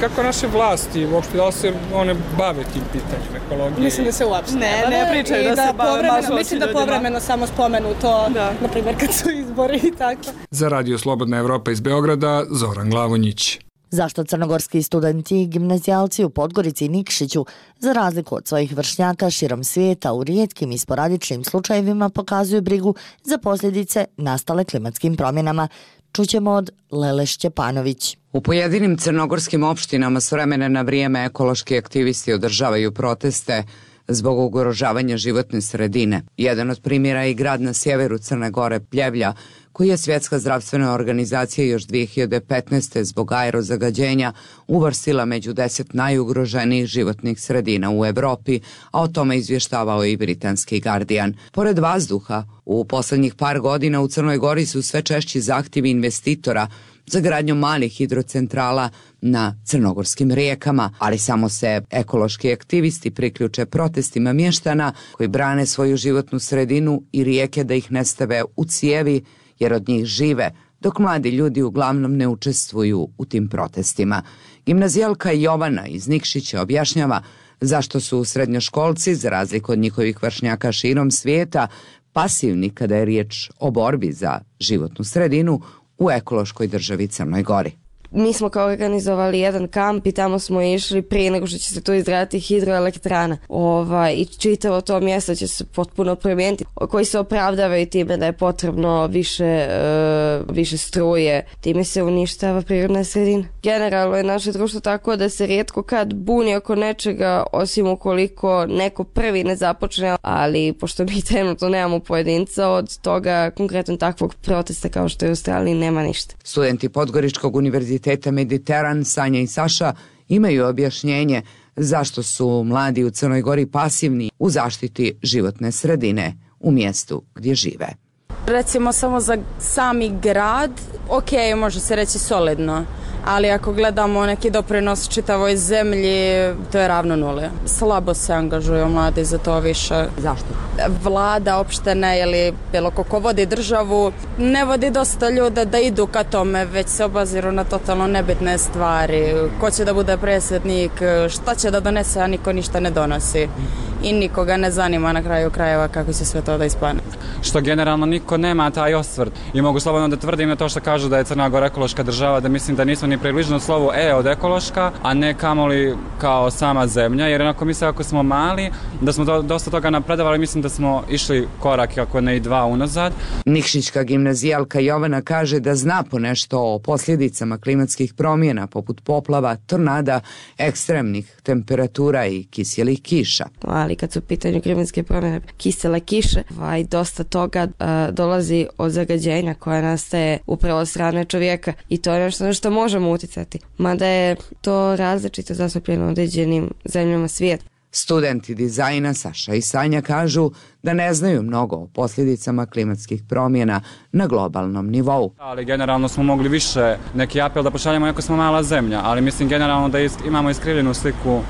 Kako naše vlasti, uopšte da se one bave tim pitanjem ekologije? Mislim da se uopšte ne, ne, ne pričaju da, da se bave baš mislim da povremeno samo spomenu to, da. Na primjer kad su izbori i tako. Za Radio Slobodna Evropa iz Beograda, Zoran Glavonjić. Zašto crnogorski studenti i gimnazijalci u Podgorici i Nikšiću, za razliku od svojih vršnjaka širom svijeta, u rijetkim i sporadičnim slučajevima pokazuju brigu za posljedice nastale klimatskim promjenama, čućemo od Lele Šćepanović. U pojedinim crnogorskim opštinama s vremena na vrijeme ekološki aktivisti održavaju proteste zbog ugrožavanja životne sredine. Jedan od primjera je i grad na sjeveru Crne Gore, Pljevlja, koji je Svjetska zdravstvena organizacija još dvije hiljade petnaeste zbog aerozagađenja uvrstila među deset najugroženijih životnih sredina u Evropi, a o tome izvještavao i britanski Guardian. Pored vazduha, u posljednjih par godina u Crnoj Gori su sve češći zahtjevi investitora za gradnju malih hidrocentrala na crnogorskim rijekama, ali samo se ekološki aktivisti priključe protestima mještana koji brane svoju životnu sredinu i rijeke da ih ne stave u cijevi jer od njih žive, dok mladi ljudi uglavnom ne učestvuju u tim protestima. Gimnazijalka Jovana iz Nikšića objašnjava Zašto su srednjoškolci, za razliku od njihovih vršnjaka širom svijeta, pasivni kada je riječ o borbi za životnu sredinu u ekološkoj državi Crnoj Gori? Mi smo kao organizovali jedan kamp i tamo smo išli prije nego što će se tu izgraditi hidroelektrana. Ovaj, I čitavo to mjesto će se potpuno promijeniti, koji se opravdavaju time da je potrebno više, uh, više struje. Time se uništava prirodna sredina. Generalno je naše društvo tako da se rijetko kad buni oko nečega, osim ukoliko neko prvi ne započne, ali pošto mi trenutno nemamo pojedinca, od toga konkretno takvog protesta kao što je u Australiji nema ništa. Studenti Podgoričkog univerziteta Mediteran, Sanja i Saša, imaju objašnjenje zašto su mladi u Crnoj Gori pasivni u zaštiti životne sredine u mjestu gdje žive. Recimo samo za sami grad, ok, može se reći solidno, ali ako gledamo neki doprinos čitavoj zemlji, to je ravno nuli. Slabo se angažuju mladi za to više. Zašto? Vlada, opštine ili bilo ko vodi državu, ne vodi dosta ljude da idu ka tome, već se obaziru na totalno nebitne stvari. Ko će da bude predsjednik, šta će da donese, a niko ništa ne donosi. I nikoga ne zanima na kraju krajeva kako će sve to da ispane. Što generalno niko nema taj osvrt. I mogu slobodno da tvrdim na to što kažu da je Crna Gora ekološka država, da mislim da nismo ni približno slovu E od ekološka, a ne kamoli kao sama zemlja, jer onako mislim ako smo mali, da smo do, dosta toga napredovali, mislim da smo išli korak, ako ne i dva unazad. Nikšićka gimnazijalka Jovana kaže da zna ponešto o posljedicama klimatskih promjena, poput poplava, tornada, ekstremnih temperatura i kiselih kiša. Ali kad su u pitanju klimatske promjene, kisele kiše, ovaj, dosta toga a, dolazi od zagađenja koje nastaje upravo od strane čovjeka i to je nešto na što možemo uticati. Mada je to različito zastupljeno u određenim zemljama svijeta. Studenti dizajna Saša i Sanja kažu da ne znaju mnogo o posljedicama klimatskih promjena na globalnom nivou. Ali generalno smo mogli više neki apel da pošaljemo, iako smo mala zemlja, ali mislim generalno da isk- imamo iskrivljenu sliku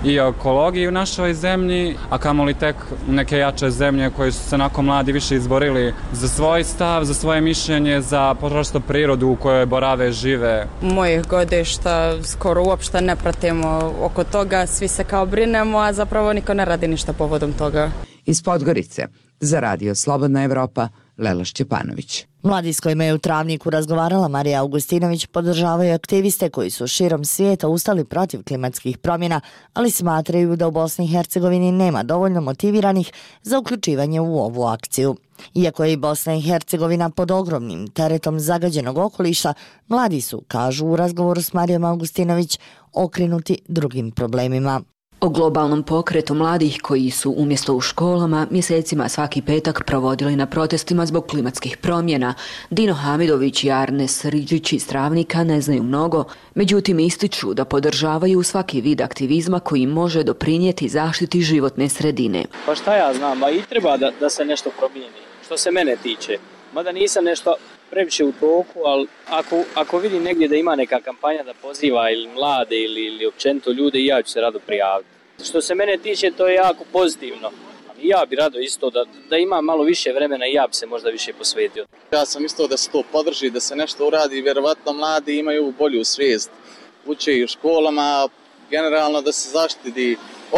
i ekologiji u našoj zemlji, a kamoli tek neke jače zemlje koje su se onako mladi više izborili za svoj stav, za svoje mišljenje, za prosto prirodu u kojoj borave, žive. Mojih godišta skoro uopšte ne pratimo oko toga, svi se kao brinemo, a zapravo niko ne radi ništa povodom toga. Iz Podgorice, za Radio Slobodna Evropa, Lela Šćepanović. Mladi s kojima je u Travniku razgovarala Marija Augustinović podržavaju aktiviste koji su širom svijeta ustali protiv klimatskih promjena, ali smatraju da u Bosni i Hercegovini nema dovoljno motiviranih za uključivanje u ovu akciju. Iako je i Bosna i Hercegovina pod ogromnim teretom zagađenog okoliša, mladi su, kažu u razgovoru s Marijom Augustinović, okrenuti drugim problemima. O globalnom pokretu mladih koji su umjesto u školama mjesecima svaki petak provodili na protestima zbog klimatskih promjena, Dino Hamidović i Arnes Riđić iz Travnika ne znaju mnogo, međutim ističu da podržavaju svaki vid aktivizma koji može doprinijeti zaštiti životne sredine. Pa šta ja znam, ba i treba da, da se nešto promijeni, što se mene tiče. Mada nisam nešto previše u toku, ali ako, ako vidim negdje da ima neka kampanja da poziva ili mlade ili, ili općenito ljude, i ja ću se rado prijaviti. Što se mene tiče, to je jako pozitivno. I ja bi rado isto da, da ima malo više vremena i ja bi se možda više posvetio. Ja sam isto da se to podrži, da se nešto uradi, vjerovatno mladi imaju bolju svijest. Uče i u školama, generalno da se zaštiti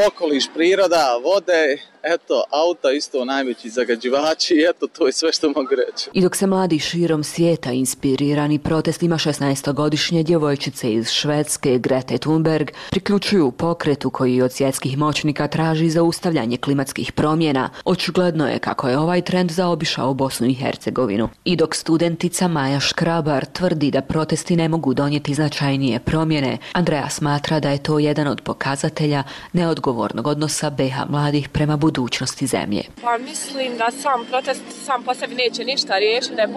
okoliš, priroda, vode, eto, auta isto najveći zagađivači, eto, to je sve što mogu reći. I dok se mladi širom svijeta inspirirani protestima šesnaestogodišnje djevojčice iz Švedske Grete Thunberg priključuju pokretu koji od svjetskih moćnika traži zaustavljanje klimatskih promjena, očigledno je kako je ovaj trend zaobišao Bosnu i Hercegovinu. I dok studentica Maja Škrabar tvrdi da protesti ne mogu donijeti značajnije promjene, Andreja smatra da je to jedan od pokazatelja neodgovornog odnosa B iH mladih prema budućnosti zemlje. Pa mislim da sam protest sam po sebi neće ništa riješiti, da je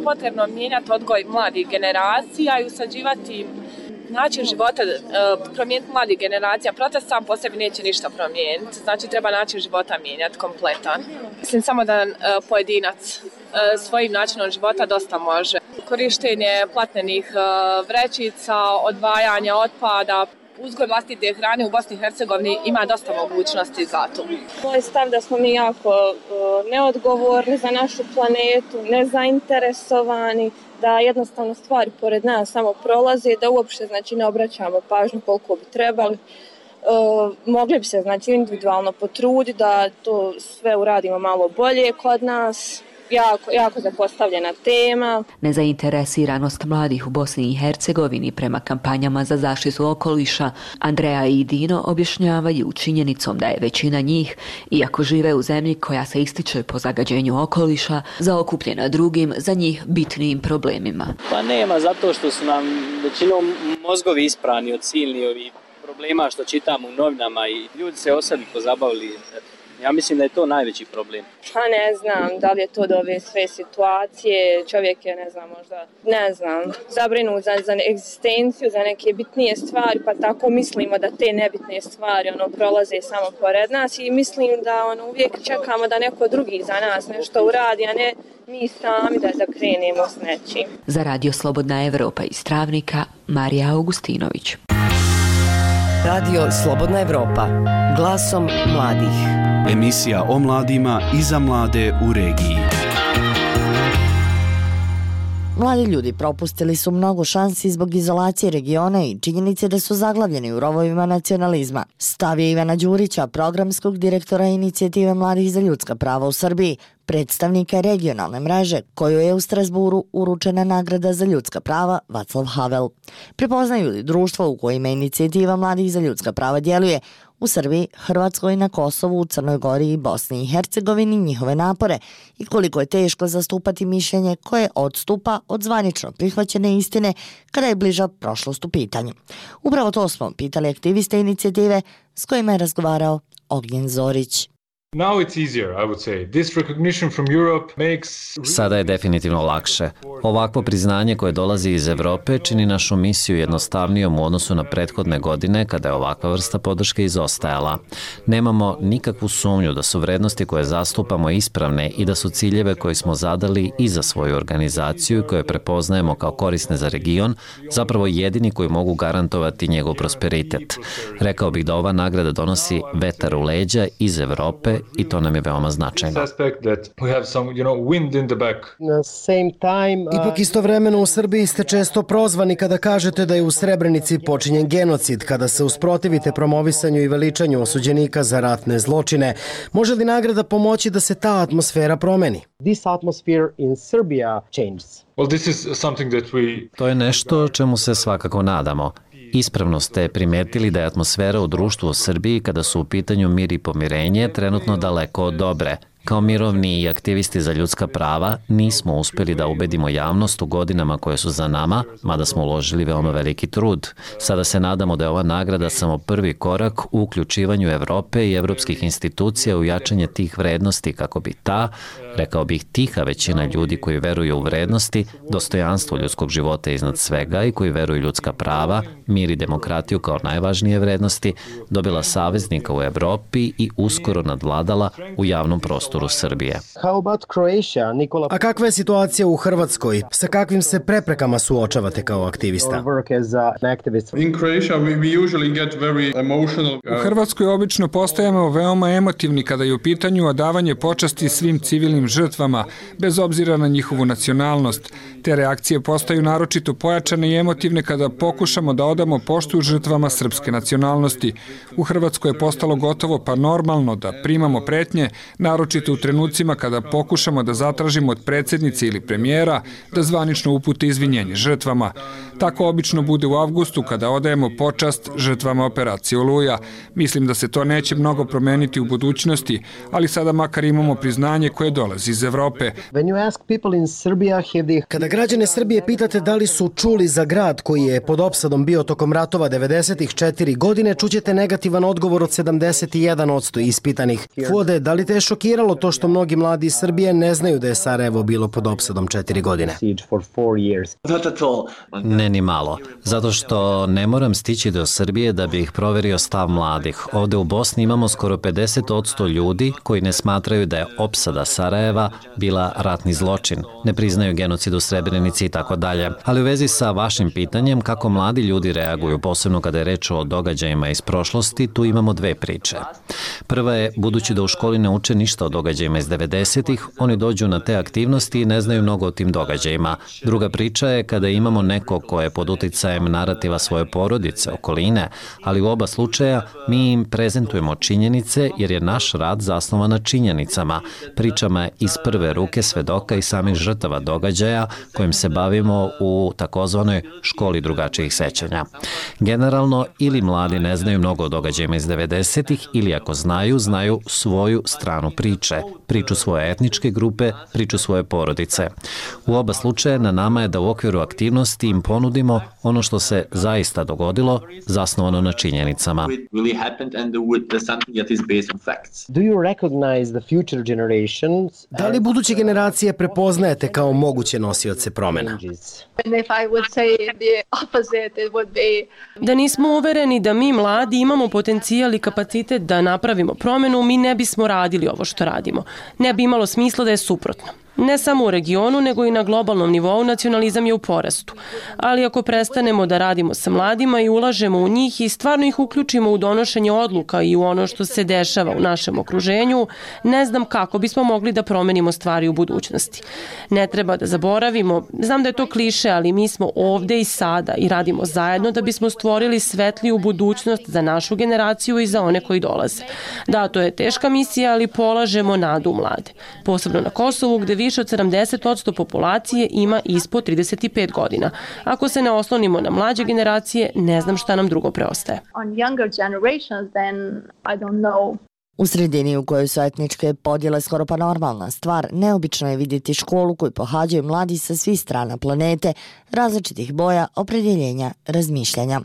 potrebno mijenjati odgoj mladih generacija i usađivati način života, promijeniti mladih generacija. Protest sam po sebi neće ništa promijeniti, znači treba način života mijenjati kompletan. Mislim samo da pojedinac svojim načinom života dosta može. Korištenje platnenih vrećica, odvajanje otpada, uzgoj vlastite hrane u Bosni i Hercegovini ima dosta mogućnosti za to. Moj stav da smo mi jako uh, neodgovorni za našu planetu, nezainteresovani, da jednostavno stvari pored nas samo prolaze, da uopšte znači ne obraćamo pažnju koliko bi trebali. Uh, mogli bi se znači individualno potruditi da to sve uradimo malo bolje kod nas. Jako, jako zapostavljena tema. Nezainteresiranost mladih u Bosni i Hercegovini prema kampanjama za zaštitu okoliša Andreja i Dino objašnjavaju činjenicom da je većina njih, iako žive u zemlji koja se ističe po zagađenju okoliša, zaokupljena drugim, za njih bitnijim problemima. Pa nema, zato što su nam većinom mozgovi isprani od silnih ovih problema što čitamo u novinama i ljudi se o sebi pozabavili. Ja mislim da je to najveći problem. Pa ne znam, da li je to do ove sve situacije, čovjek je, ne znam, možda, ne znam, zabrinut za, za egzistenciju, za neke bitnije stvari, pa tako mislimo da te nebitne stvari ono, prolaze samo pored nas i mislim da ono, uvijek čekamo da neko drugi za nas nešto uradi, a ne mi sami da, da krenemo s nečim. Za Radio Slobodna Evropa iz Travnika, Marija Augustinović. Radio Slobodna Evropa, glasom mladih. Emisija o mladima i za mlade u regiji. Mladi ljudi propustili su mnogo šansi zbog izolacije regiona i činjenice da su zaglavljeni u rovovima nacionalizma. Stav je Ivana Đurića, programskog direktora Inicijative mladih za ljudska prava u Srbiji, predstavnika regionalne mreže, koju je u Strasburu uručena nagrada za ljudska prava Vaclav Havel. Prepoznaju li društvo u kojima Inicijativa mladih za ljudska prava djeluje u Srbiji, Hrvatskoj, na Kosovu, u Crnoj Gori i Bosni i Hercegovini njihove napore i koliko je teško zastupati mišljenje koje odstupa od zvanično prihvaćene istine kada je bliža prošlost u pitanju. Upravo to smo pitali aktiviste inicijative s kojima je razgovarao Ognjen Zorić. Sada je definitivno lakše. Ovakvo priznanje koje dolazi iz Evrope čini našu misiju jednostavnijom u odnosu na prethodne godine kada je ovakva vrsta podrške izostajala. Nemamo nikakvu sumnju da su vrednosti koje zastupamo ispravne i da su ciljeve koje smo zadali i za svoju organizaciju i koje prepoznajemo kao korisne za region zapravo jedini koji mogu garantovati njegov prosperitet. Rekao bih da ova nagrada donosi vetar u leđa iz Evrope i to nam je veoma značajno. Ipak istovremeno u Srbiji ste često prozvani kada kažete da je u Srebrenici počinjen genocid, kada se usprotivite promovisanju i veličanju osuđenika za ratne zločine. Može li nagrada pomoći da se ta atmosfera promeni? To je nešto čemu se svakako nadamo. Ispravno ste primetili da je atmosfera u društvu u Srbiji kada su u pitanju mir i pomirenje trenutno daleko od dobre. Kao mirovni i aktivisti za ljudska prava nismo uspjeli da ubedimo javnost u godinama koje su za nama, mada smo uložili veoma veliki trud. Sada se nadamo da je ova nagrada samo prvi korak u uključivanju Evrope i evropskih institucija u jačanje tih vrednosti kako bi ta, rekao bih tiha većina ljudi koji veruju u vrednosti, dostojanstvo ljudskog života iznad svega i koji veruju ljudska prava, mir i demokratiju kao najvažnije vrednosti, dobila saveznika u Evropi i uskoro nadvladala u javnom prostoru Srbije. A kakva je situacija u Hrvatskoj? Sa kakvim se preprekama suočavate kao aktivista? U Hrvatskoj obično postajemo veoma emotivni kada je u pitanju odavanje počasti svim civilnim žrtvama, bez obzira na njihovu nacionalnost. Te reakcije postaju naročito pojačane i emotivne kada pokušamo da odamo poštu žrtvama srpske nacionalnosti. U Hrvatskoj je postalo gotovo pa normalno da primamo pretnje, naročito u trenucima kada pokušamo da zatražimo od predsjednice ili premijera da zvanično upute izvinjenje žrtvama. Tako obično bude u avgustu kada odajemo počast žrtvama operacije Oluja. Mislim da se to neće mnogo promeniti u budućnosti, ali sada makar imamo priznanje koje dolazi iz Evrope. Kada građane Srbije pitate da li su čuli za grad koji je pod opsadom bio tokom ratova devedesetih četiri godine, čućete negativan odgovor od sedamdeset jedan posto ispitanih. Fuade, da li te je šokiralo to što mnogi mladi iz Srbije ne znaju da je Sarajevo bilo pod opsadom četiri godine? Ne ni malo, zato što ne moram stići do Srbije da bih proverio stav mladih. Ovde u Bosni imamo skoro pedeset posto ljudi koji ne smatraju da je opsada Sarajeva bila ratni zločin, ne priznaju genocid u Srebrenici i tako dalje. Ali u vezi sa vašim pitanjem kako mladi ljudi reaguju, posebno kada je reč o događajima iz prošlosti, tu imamo dve priče. Prva je, budući da u školi ne uče ništa o događajima događajima iz devedesetih, oni dođu na te aktivnosti i ne znaju mnogo o tim događajima. Druga priča je kada imamo neko ko je pod uticajem narativa svoje porodice, okoline, ali u oba slučaja mi im prezentujemo činjenice jer je naš rad zasnovan na činjenicama, pričama iz prve ruke svedoka i samih žrtava događaja kojim se bavimo u takozvanoj školi drugačijih sećanja. Generalno, ili mladi ne znaju mnogo o događajima iz devedesetih ili ako znaju, znaju svoju stranu priče, priču svoje etničke grupe, priču svoje porodice. U oba slučaja na nama je da u okviru aktivnosti im ponudimo ono što se zaista dogodilo, zasnovano na činjenicama. Do you recognize the future generations? Da li buduće generacije prepoznajete kao moguće nosioce promena? Da nismo uvereni da mi mladi imamo potencijal i kapacitet da napravimo promenu, mi ne bismo radili ovo što radimo. Ne bi imalo smisla da je suprotno. Ne samo u regionu, nego i na globalnom nivou nacionalizam je u porastu. Ali ako prestanemo da radimo sa mladima i ulažemo u njih i stvarno ih uključimo u donošenje odluka i u ono što se dešava u našem okruženju, ne znam kako bismo mogli da promenimo stvari u budućnosti. Ne treba da zaboravimo, znam da je to kliše, ali mi smo ovde i sada i radimo zajedno da bismo stvorili svetliju budućnost za našu generaciju i za one koji dolaze. Da, to je teška misija, ali polažemo nadu u mlade. Posebno na Kosovu, gde više od sedamdeset posto populacije ima ispod trideset pet godina. Ako se ne oslonimo na mlađe generacije, ne znam šta nam drugo preostaje. U sredini u kojoj su etničke podjele skoro pa normalna stvar, neobično je vidjeti školu koju pohađaju mladi sa svih strana planete, različitih boja, opredjeljenja, razmišljanja.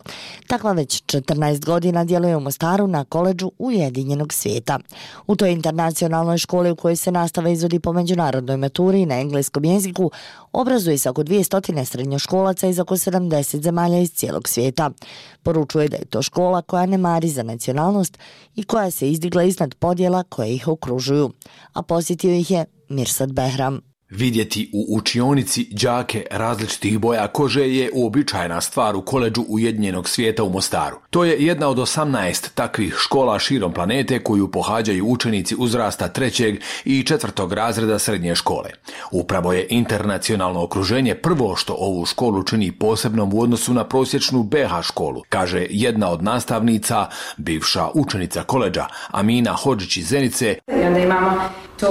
Takva već četrnaest godina djeluje u Mostaru na koledžu Ujedinjenog svijeta. U toj internacionalnoj školi u kojoj se nastava izvodi po međunarodnoj maturi na engleskom jeziku, obrazuje se oko dvjesto srednjoškolaca iz oko sedamdeset zemalja iz cijelog svijeta. Poručuje da je to škola koja ne mari za nacionalnost i koja se izdigla iznad podjela koje ih okružuju. A posjetio ih je Mirsad Behram. Vidjeti u učionici đake različitih boja kože je uobičajena stvar u koledžu Ujedinjenog svijeta u Mostaru. To je jedna od osamnaest takvih škola širom planete koju pohađaju učenici uzrasta trećeg i četvrtog razreda srednje škole. Upravo je internacionalno okruženje prvo što ovu školu čini posebnom u odnosu na prosječnu B H školu, kaže jedna od nastavnica, bivša učenica koledža Amina Hodžić iz Zenice. I onda imamo tu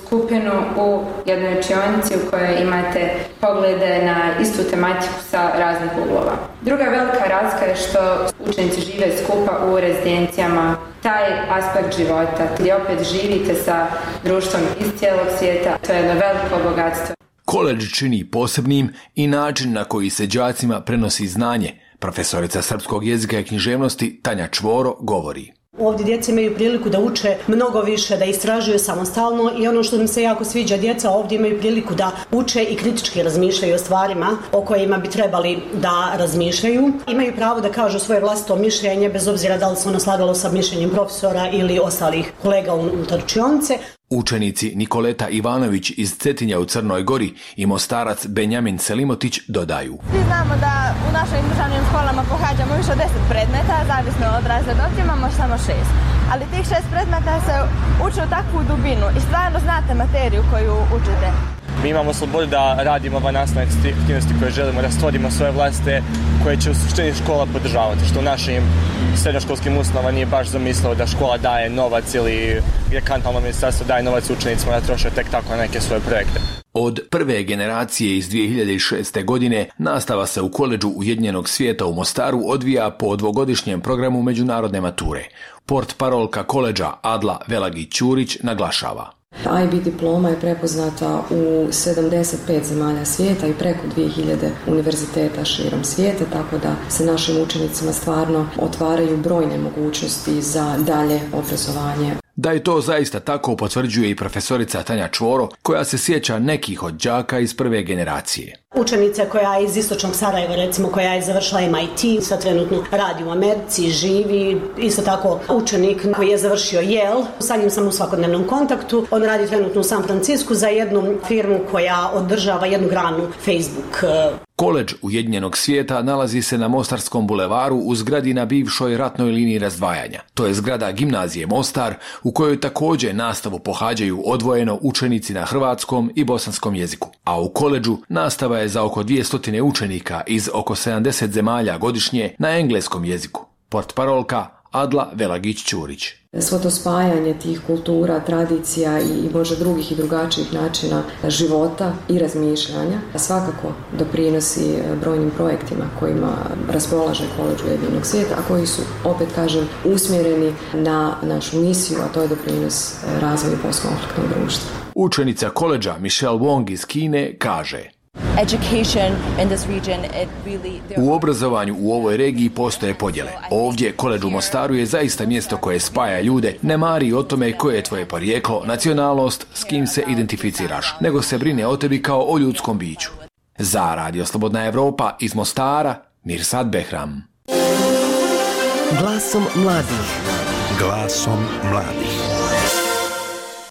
skupinu u jednoj učionici u kojoj imate poglede na istu tematiku sa raznih uglova. Druga velika razlika je što učenici žive skupa u rezidencijama. Taj aspekt života gdje opet živite sa društvom iz cijelog svijeta, to je jedno veliko bogatstvo. Koledž čini posebnim i način na koji se đacima prenosi znanje. Profesorica srpskog jezika i književnosti Tanja Čvoro govori. Ovdje djeca imaju priliku da uče mnogo više, da istražuju samostalno i ono što mi se jako sviđa, djeca ovdje imaju priliku da uče i kritički razmišljaju o stvarima o kojima bi trebali da razmišljaju. Imaju pravo da kažu svoje vlastito mišljenje, bez obzira da li se ono slagalo sa mišljenjem profesora ili ostalih kolega unutar učionice. Učenici Nikoleta Ivanović iz Cetinja u Crnoj Gori i Mostarac Benjamin Selimotić dodaju. Svi znamo da u našim državnim školama pohađamo više od deset predmeta, zavisno od razreda, ovdje imamo samo šest. Ali tih šest predmeta se uče u takvu dubinu i stvarno znate materiju koju učite. Mi imamo slobodu da radimo ove nastavne aktivnosti koje želimo, da stvorimo svoje vlastite koje će u suštini škola podržavati, što u našim srednjoškolskim ustanovama nije baš zamislilo da škola daje novac ili gdje kantonalno ministarstvo daje novac učenicima da troše tek tako na neke svoje projekte. Od prve generacije iz dvije hiljade šeste. godine nastava se u koledžu Ujedinjenog svijeta u Mostaru odvija po dvogodišnjem programu međunarodne mature. Portparolka koledža Adla Velagić-Ćurić naglašava. I B diploma je prepoznata u sedamdeset pet zemalja svijeta i preko dvije hiljade univerziteta širom svijeta, tako da se našim učenicima stvarno otvaraju brojne mogućnosti za dalje obrazovanje. Da je to zaista tako potvrđuje i profesorica Tanja Čvoro, koja se sjeća nekih od đaka iz prve generacije. Učenica koja je iz istočnog Sarajeva, recimo, koja je završila M I T, sad trenutno radi u Americi, živi, isto tako učenik koji je završio Yale, sa njim sam u svakodnevnom kontaktu, on radi trenutno u San Francisku za jednu firmu koja održava jednu granu Facebook. Koledž Ujedinjenog svijeta nalazi se na Mostarskom bulevaru u zgradi na bivšoj ratnoj liniji razdvajanja. To je zgrada gimnazije Mostar u kojoj također nastavu pohađaju odvojeno učenici na hrvatskom i bosanskom jeziku. A u koledžu nastava je za oko dvjesto učenika iz oko sedamdeset zemalja godišnje na engleskom jeziku. Portparolka Adla Velagić-Ćurić. Svo to spajanje tih kultura, tradicija i možda drugih i drugačijih načina života i razmišljanja svakako doprinosi brojnim projektima kojima raspolaže Koledž Ujedinjenog svijeta, a koji su, opet kažem, usmjereni na našu misiju, a to je doprinos razvoju postkonfliktnog društva. Učenica koledža Michelle Wong iz Kine kaže: U obrazovanju u ovoj regiji postoje podjele. Ovdje, Koledž u Mostaru je zaista mjesto koje spaja ljude, ne mari o tome koje je tvoje porijeklo, nacionalnost, s kim se identificiraš, nego se brine o tebi kao o ljudskom biću. Za Radio Slobodna Evropa iz Mostara, Mirsad Behram. Glasom mladih. Glasom mladih.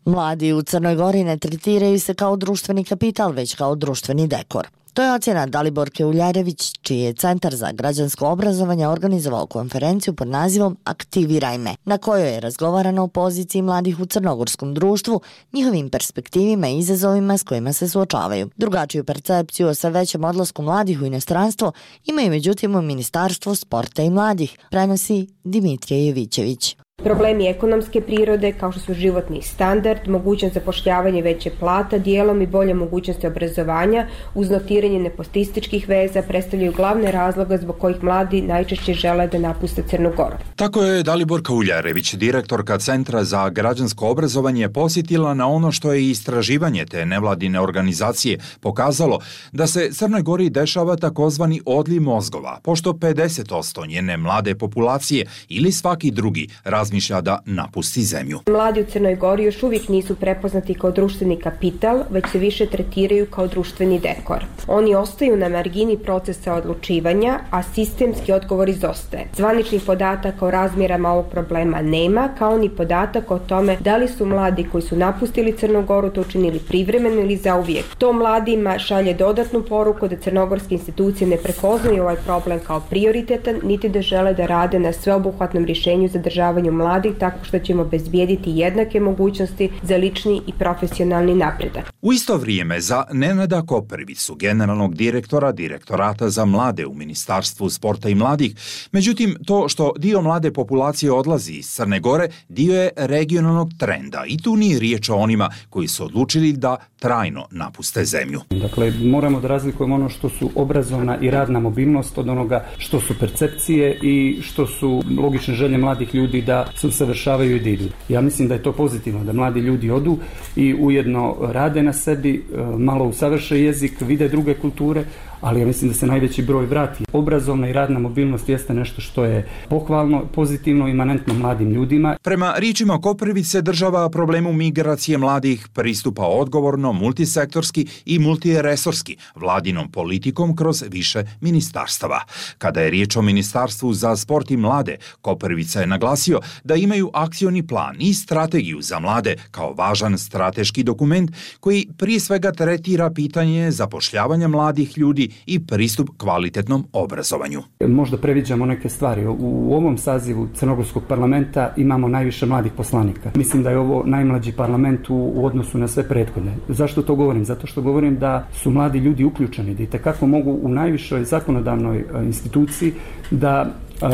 Mladi u Crnoj Gori ne tretiraju se kao društveni kapital, već kao društveni dekor. To je ocjena Daliborke Uljarević, čiji je Centar za građansko obrazovanje organizovao konferenciju pod nazivom Aktiviraj me, na kojoj je razgovarano o poziciji mladih u crnogorskom društvu, njihovim perspektivima i izazovima s kojima se suočavaju. Drugačiju percepciju o sve većem odlasku mladih u inostranstvo imaju međutim u Ministarstvu sporta i mladih, prenosi Dimitrije Jovićević. Problemi ekonomske prirode, kao što su životni standard, mogućnost zapošljavanja veće plata, dijelom i bolje mogućnosti obrazovanja, uz notiranje nepostističkih veza, predstavljaju glavne razloga zbog kojih mladi najčešće žele da napuste Crnu Goru. Tako je Daliborka Uljarević, direktorka Centra za građansko obrazovanje, posjetila na ono što je istraživanje te nevladine organizacije pokazalo da se Crnoj Gori dešava takozvani odliv mozgova, pošto pedeset posto njene mlade populacije ili svaki drugi razmišlja da napusti zemlju. Mladi u Crnoj Gori još uvijek nisu prepoznati kao društveni kapital, već se više tretiraju kao društveni dekor. Oni ostaju na margini procesa odlučivanja, a sistemski odgovor izostaje. Zvaničnih podataka o razmjerama ovog problema nema, kao ni podatak o tome da li su mladi koji su napustili Crnu Goru to učinili privremeno ili zauvijek. To mladima šalje dodatnu poruku da crnogorske institucije ne prepoznaju ovaj problem kao prioritetan, niti da žele da rade na sveobuhvatnom rješenju zadržavanju mladih tako što ćemo obezbijediti jednake mogućnosti za lični i profesionalni napredak. U isto vrijeme za Nenada Koprivicu, generalnog direktora Direktorata za mlade u Ministarstvu sporta i mladih, međutim to što dio mlade populacije odlazi iz Crne Gore dio je regionalnog trenda i tu nije riječ o onima koji su odlučili da trajno napuste zemlju. Dakle, moramo da razlikujemo ono što su obrazovna i radna mobilnost od onoga što su percepcije i što su logične želje mladih ljudi da se usavršavaju i da idu. Ja mislim da je to pozitivno, da mladi ljudi odu i ujedno rade na sebi, malo usavrše jezik, vide druge kulture, ali ja mislim da se najveći broj vrati. Obrazovna i radna mobilnost jeste nešto što je pohvalno, pozitivno, imanentno mladim ljudima. Prema riječima Koprivice, država problemu migracije mladih pristupa odgovorno, multisektorski i multiresorski, vladinom politikom kroz više ministarstava. Kada je riječ o Ministarstvu za sport i mlade, Koprivica je naglasio da imaju akcioni plan i strategiju za mlade kao važan strateški dokument koji prije svega tretira pitanje zapošljavanja mladih ljudi i pristup kvalitetnom obrazovanju. Možda previđamo neke stvari. U ovom sazivu Crnogorskog parlamenta imamo najviše mladih poslanika. Mislim da je ovo najmlađi parlament u, u odnosu na sve prethodne. Zašto to govorim? Zato što govorim da su mladi ljudi uključeni, da i tekako mogu u najvišoj zakonodavnoj instituciji da uh,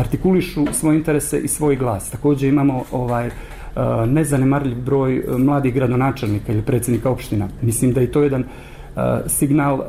artikulišu svoje interese i svoj glas. Također imamo ovaj uh, nezanemarljiv broj mladih gradonačelnika ili predsjednika opština. Mislim da je to jedan Uh, signal uh,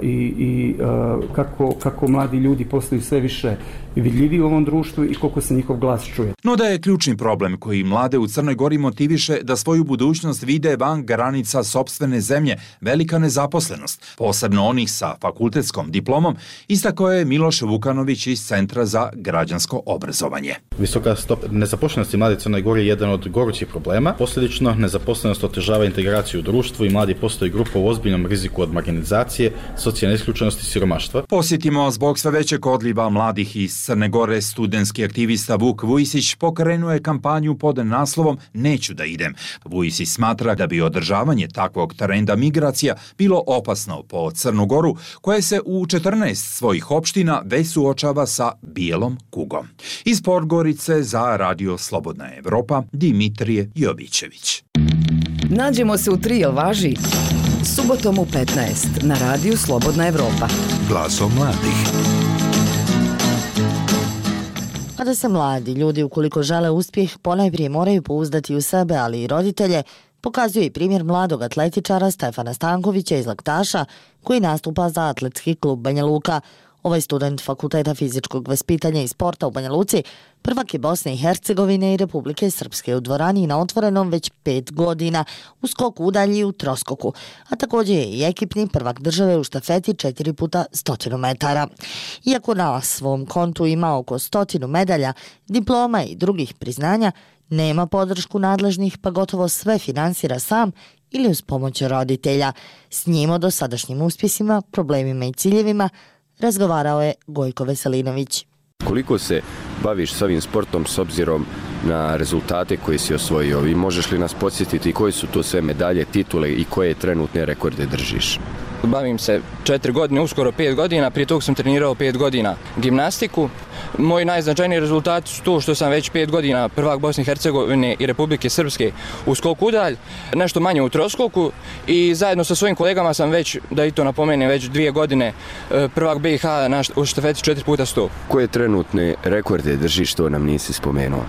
i, i uh, kako, kako mladi ljudi postaju sve više vidljivi u ovom društvu i koliko se njihov glas čuje. No da je ključni problem koji mlade u Crnoj Gori motiviše da svoju budućnost vide van granica sopstvene zemlje velika nezaposlenost, posebno onih sa fakultetskom diplomom, istakao je Miloš Vukanović iz Centra za građansko obrazovanje. Visoka stopa nezaposlenosti mladi u Crnoj Gori je jedan od gorućih problema. Posljedično, nezaposlenost otežava integraciju u društvu i mladi postaju grupa u ozbiljnom riziku riziku od marginalizacije, socijalne isključenosti i siromaštva. Posjetimo, zbog sve većeg odliva mladih iz Crne Gore, studentski aktivista Vuk Vujisić pokrenuo je kampanju pod naslovom Neću da idem. Vujisić smatra da bi održavanje takvog trenda migracija bilo opasno po Crnu Goru, koja se u četrnaest svojih opština već suočava sa bijelom kugom. Iz Podgorice za Radio Slobodna Evropa, Dimitrije Jovićević. Nađemo se u tri, jel važi? Subotom u petnaest na Radiju Slobodna Evropa. Glasom mladih. Kada se mladi ljudi, ukoliko žele uspjeh, ponajprije moraju pouzdati u sebe, ali i roditelje, pokazuje i primjer mladog atletičara Stefana Stankovića iz Laktaša, koji nastupa za atletski klub Banja Luka. Ovaj student Fakulteta fizičkog vaspitanja i sporta u Banja Luci prvak je Bosne i Hercegovine i Republike Srpske u dvorani na otvorenom već pet godina, u skoku udalji u troskoku, a također je i ekipni prvak države u štafeti četiri puta stotinu metara. Iako na svom kontu ima oko stotinu medalja, diploma i drugih priznanja, nema podršku nadležnih pa gotovo sve finansira sam ili uz pomoć roditelja. S njim o dosadašnjim uspjesima, problemima i ciljevima razgovarao je Gojko Veselinović. Koliko se baviš s ovim sportom s obzirom na rezultate koje si osvojio i možeš li nas podsjetiti koje su to sve medalje, titule i koje trenutne rekorde držiš? Bavim se četiri godine, uskoro pet godina, prije tog sam trenirao pet godina gimnastiku. Moji najznačajniji rezultati su to što sam već pet godina prvak Bosne i Hercegovine i Republike Srpske u skoku udalj, nešto manje u troskoku i zajedno sa svojim kolegama sam već, da i to napomenem, već dvije godine prvak B i H na u štafeti četiri puta sto. Koje trenutne rekorde držiš, što nam nisi spomenuo?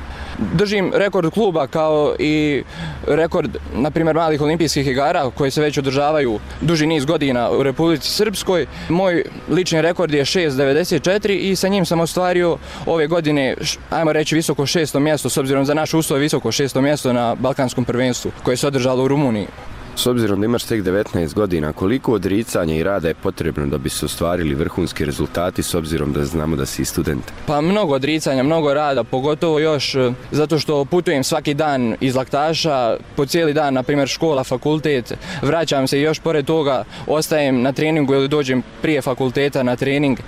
Držim rekord kluba kao i rekord, na primjer, malih olimpijskih igara koje se već održavaju duži niz godina u Republici Srpskoj. Moj lični rekord je šest devedeset četiri i sa njim sam ostvario ove godine, ajmo reći, visoko šesto mjesto, s obzirom za naš uslov visoko šesto mjesto na Balkanskom prvenstvu koje se održalo u Rumuniji. S obzirom da imaš tek devetnaest godina, koliko odricanja i rada je potrebno da bi se ostvarili vrhunski rezultati, s obzirom da znamo da si student? Pa mnogo odricanja, mnogo rada, pogotovo još zato što putujem svaki dan iz Laktaša, po cijeli dan, na primjer škola, fakultet, vraćam se i još pored toga ostajem na treningu ili dođem prije fakulteta na trening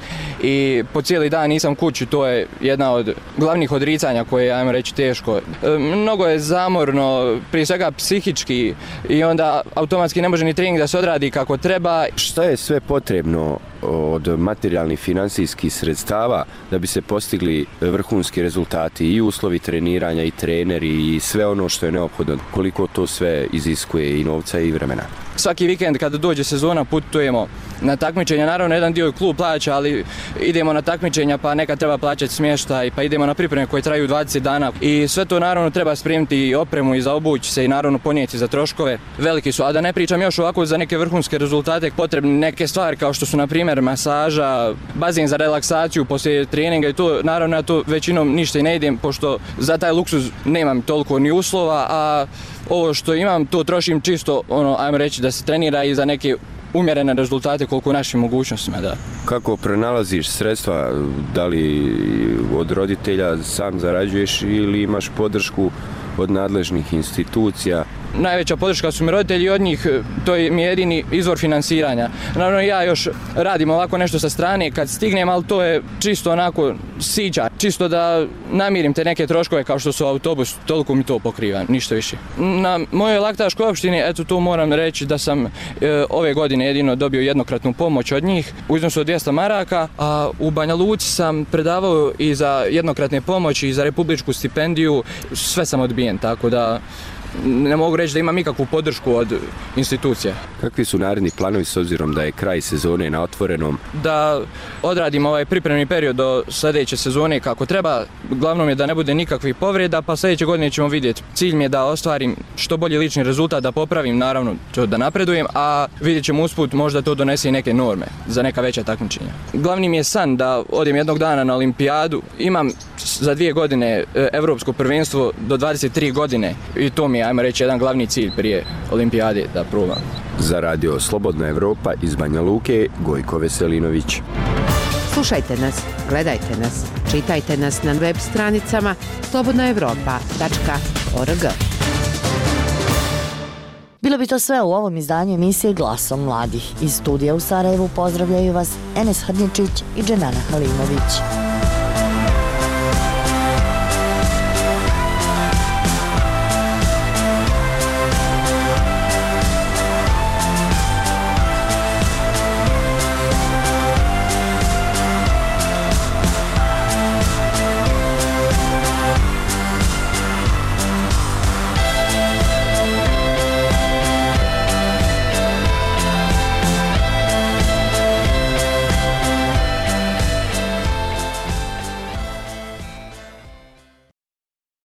i po cijeli dan nisam kući, to je jedna od glavnih odricanja koje je, ajmo reći, teško. Mnogo je zamorno, prije svega psihički i onda automatski ne može ni trening da se odradi kako treba. Šta je sve potrebno od materijalnih finansijskih sredstava da bi se postigli vrhunski rezultati i uslovi treniranja i treneri i sve ono što je neophodno? Koliko to sve iziskuje i novca i vremena? Svaki vikend kada dođe sezona putujemo na takmičenja, naravno jedan dio klub plaća, ali idemo na takmičenja pa nekad treba plaćati smještaj, pa idemo na pripreme koje traju dvadeset dana i sve to naravno treba spremiti i opremu i za obući se i naravno ponijeti za troškove. Veliki su, a da ne pričam još ovako za neke vrhunske rezultate potrebne neke stvari kao što su na primjer masaža, bazen za relaksaciju poslije treninga i to naravno ja to većinom ništa i ne idem pošto za taj luksuz nemam toliko ni uslova, a ovo što imam to trošim čisto, ono, ajmo reći da se trenira i za neke umjerene rezultate koliko u našim mogućnostima, da. Kako pronalaziš sredstva, da li od roditelja sam zarađuješ ili imaš podršku od nadležnih institucija? Najveća podrška su mi roditelji i od njih to je mi jedini izvor finansiranja. Naravno ja još radim ovako nešto sa strane kad stignem, ali to je čisto onako siđa, čisto da namirim te neke troškove kao što su autobus, toliko mi to pokriva, ništa više. Na mojoj Laktaškoj opštini, eto tu moram reći da sam e, ove godine jedino dobio jednokratnu pomoć od njih u iznosu od dvjesto maraka, a u Banja Luci sam predavao i za jednokratne pomoći i za republičku stipendiju, sve sam odbijen, tako da ne mogu reći da imam ikakvu podršku od institucija. Kakvi su naredni planovi s obzirom da je kraj sezone na otvorenom? Da odradim ovaj pripremni period do sljedeće sezone kako treba. Glavno je da ne bude nikakvih povreda, pa sljedeće godine ćemo vidjeti. Cilj mi je da ostvarim što bolji lični rezultat, da popravim, naravno da napredujem, a vidjet ćemo usput možda to donese i neke norme za neka veća takmičenja. Glavni mi je san da odem jednog dana na olimpijadu. Imam za dvije godine evropsko prvenstvo do dvadeset tri godine i to mi je, ajmo reći, jedan glavni cilj prije olimpijade da probam. Za Radio Slobodna Evropa iz Banja Luke, Gojko Veselinović. Slušajte nas, gledajte nas, čitajte nas na web stranicama slobodna evropa tačka org. Bilo bi to sve u ovom izdanju emisije Glasom mladih. Iz studija u Sarajevu pozdravljaju vas Enes Hrničić i Dženana Halimović.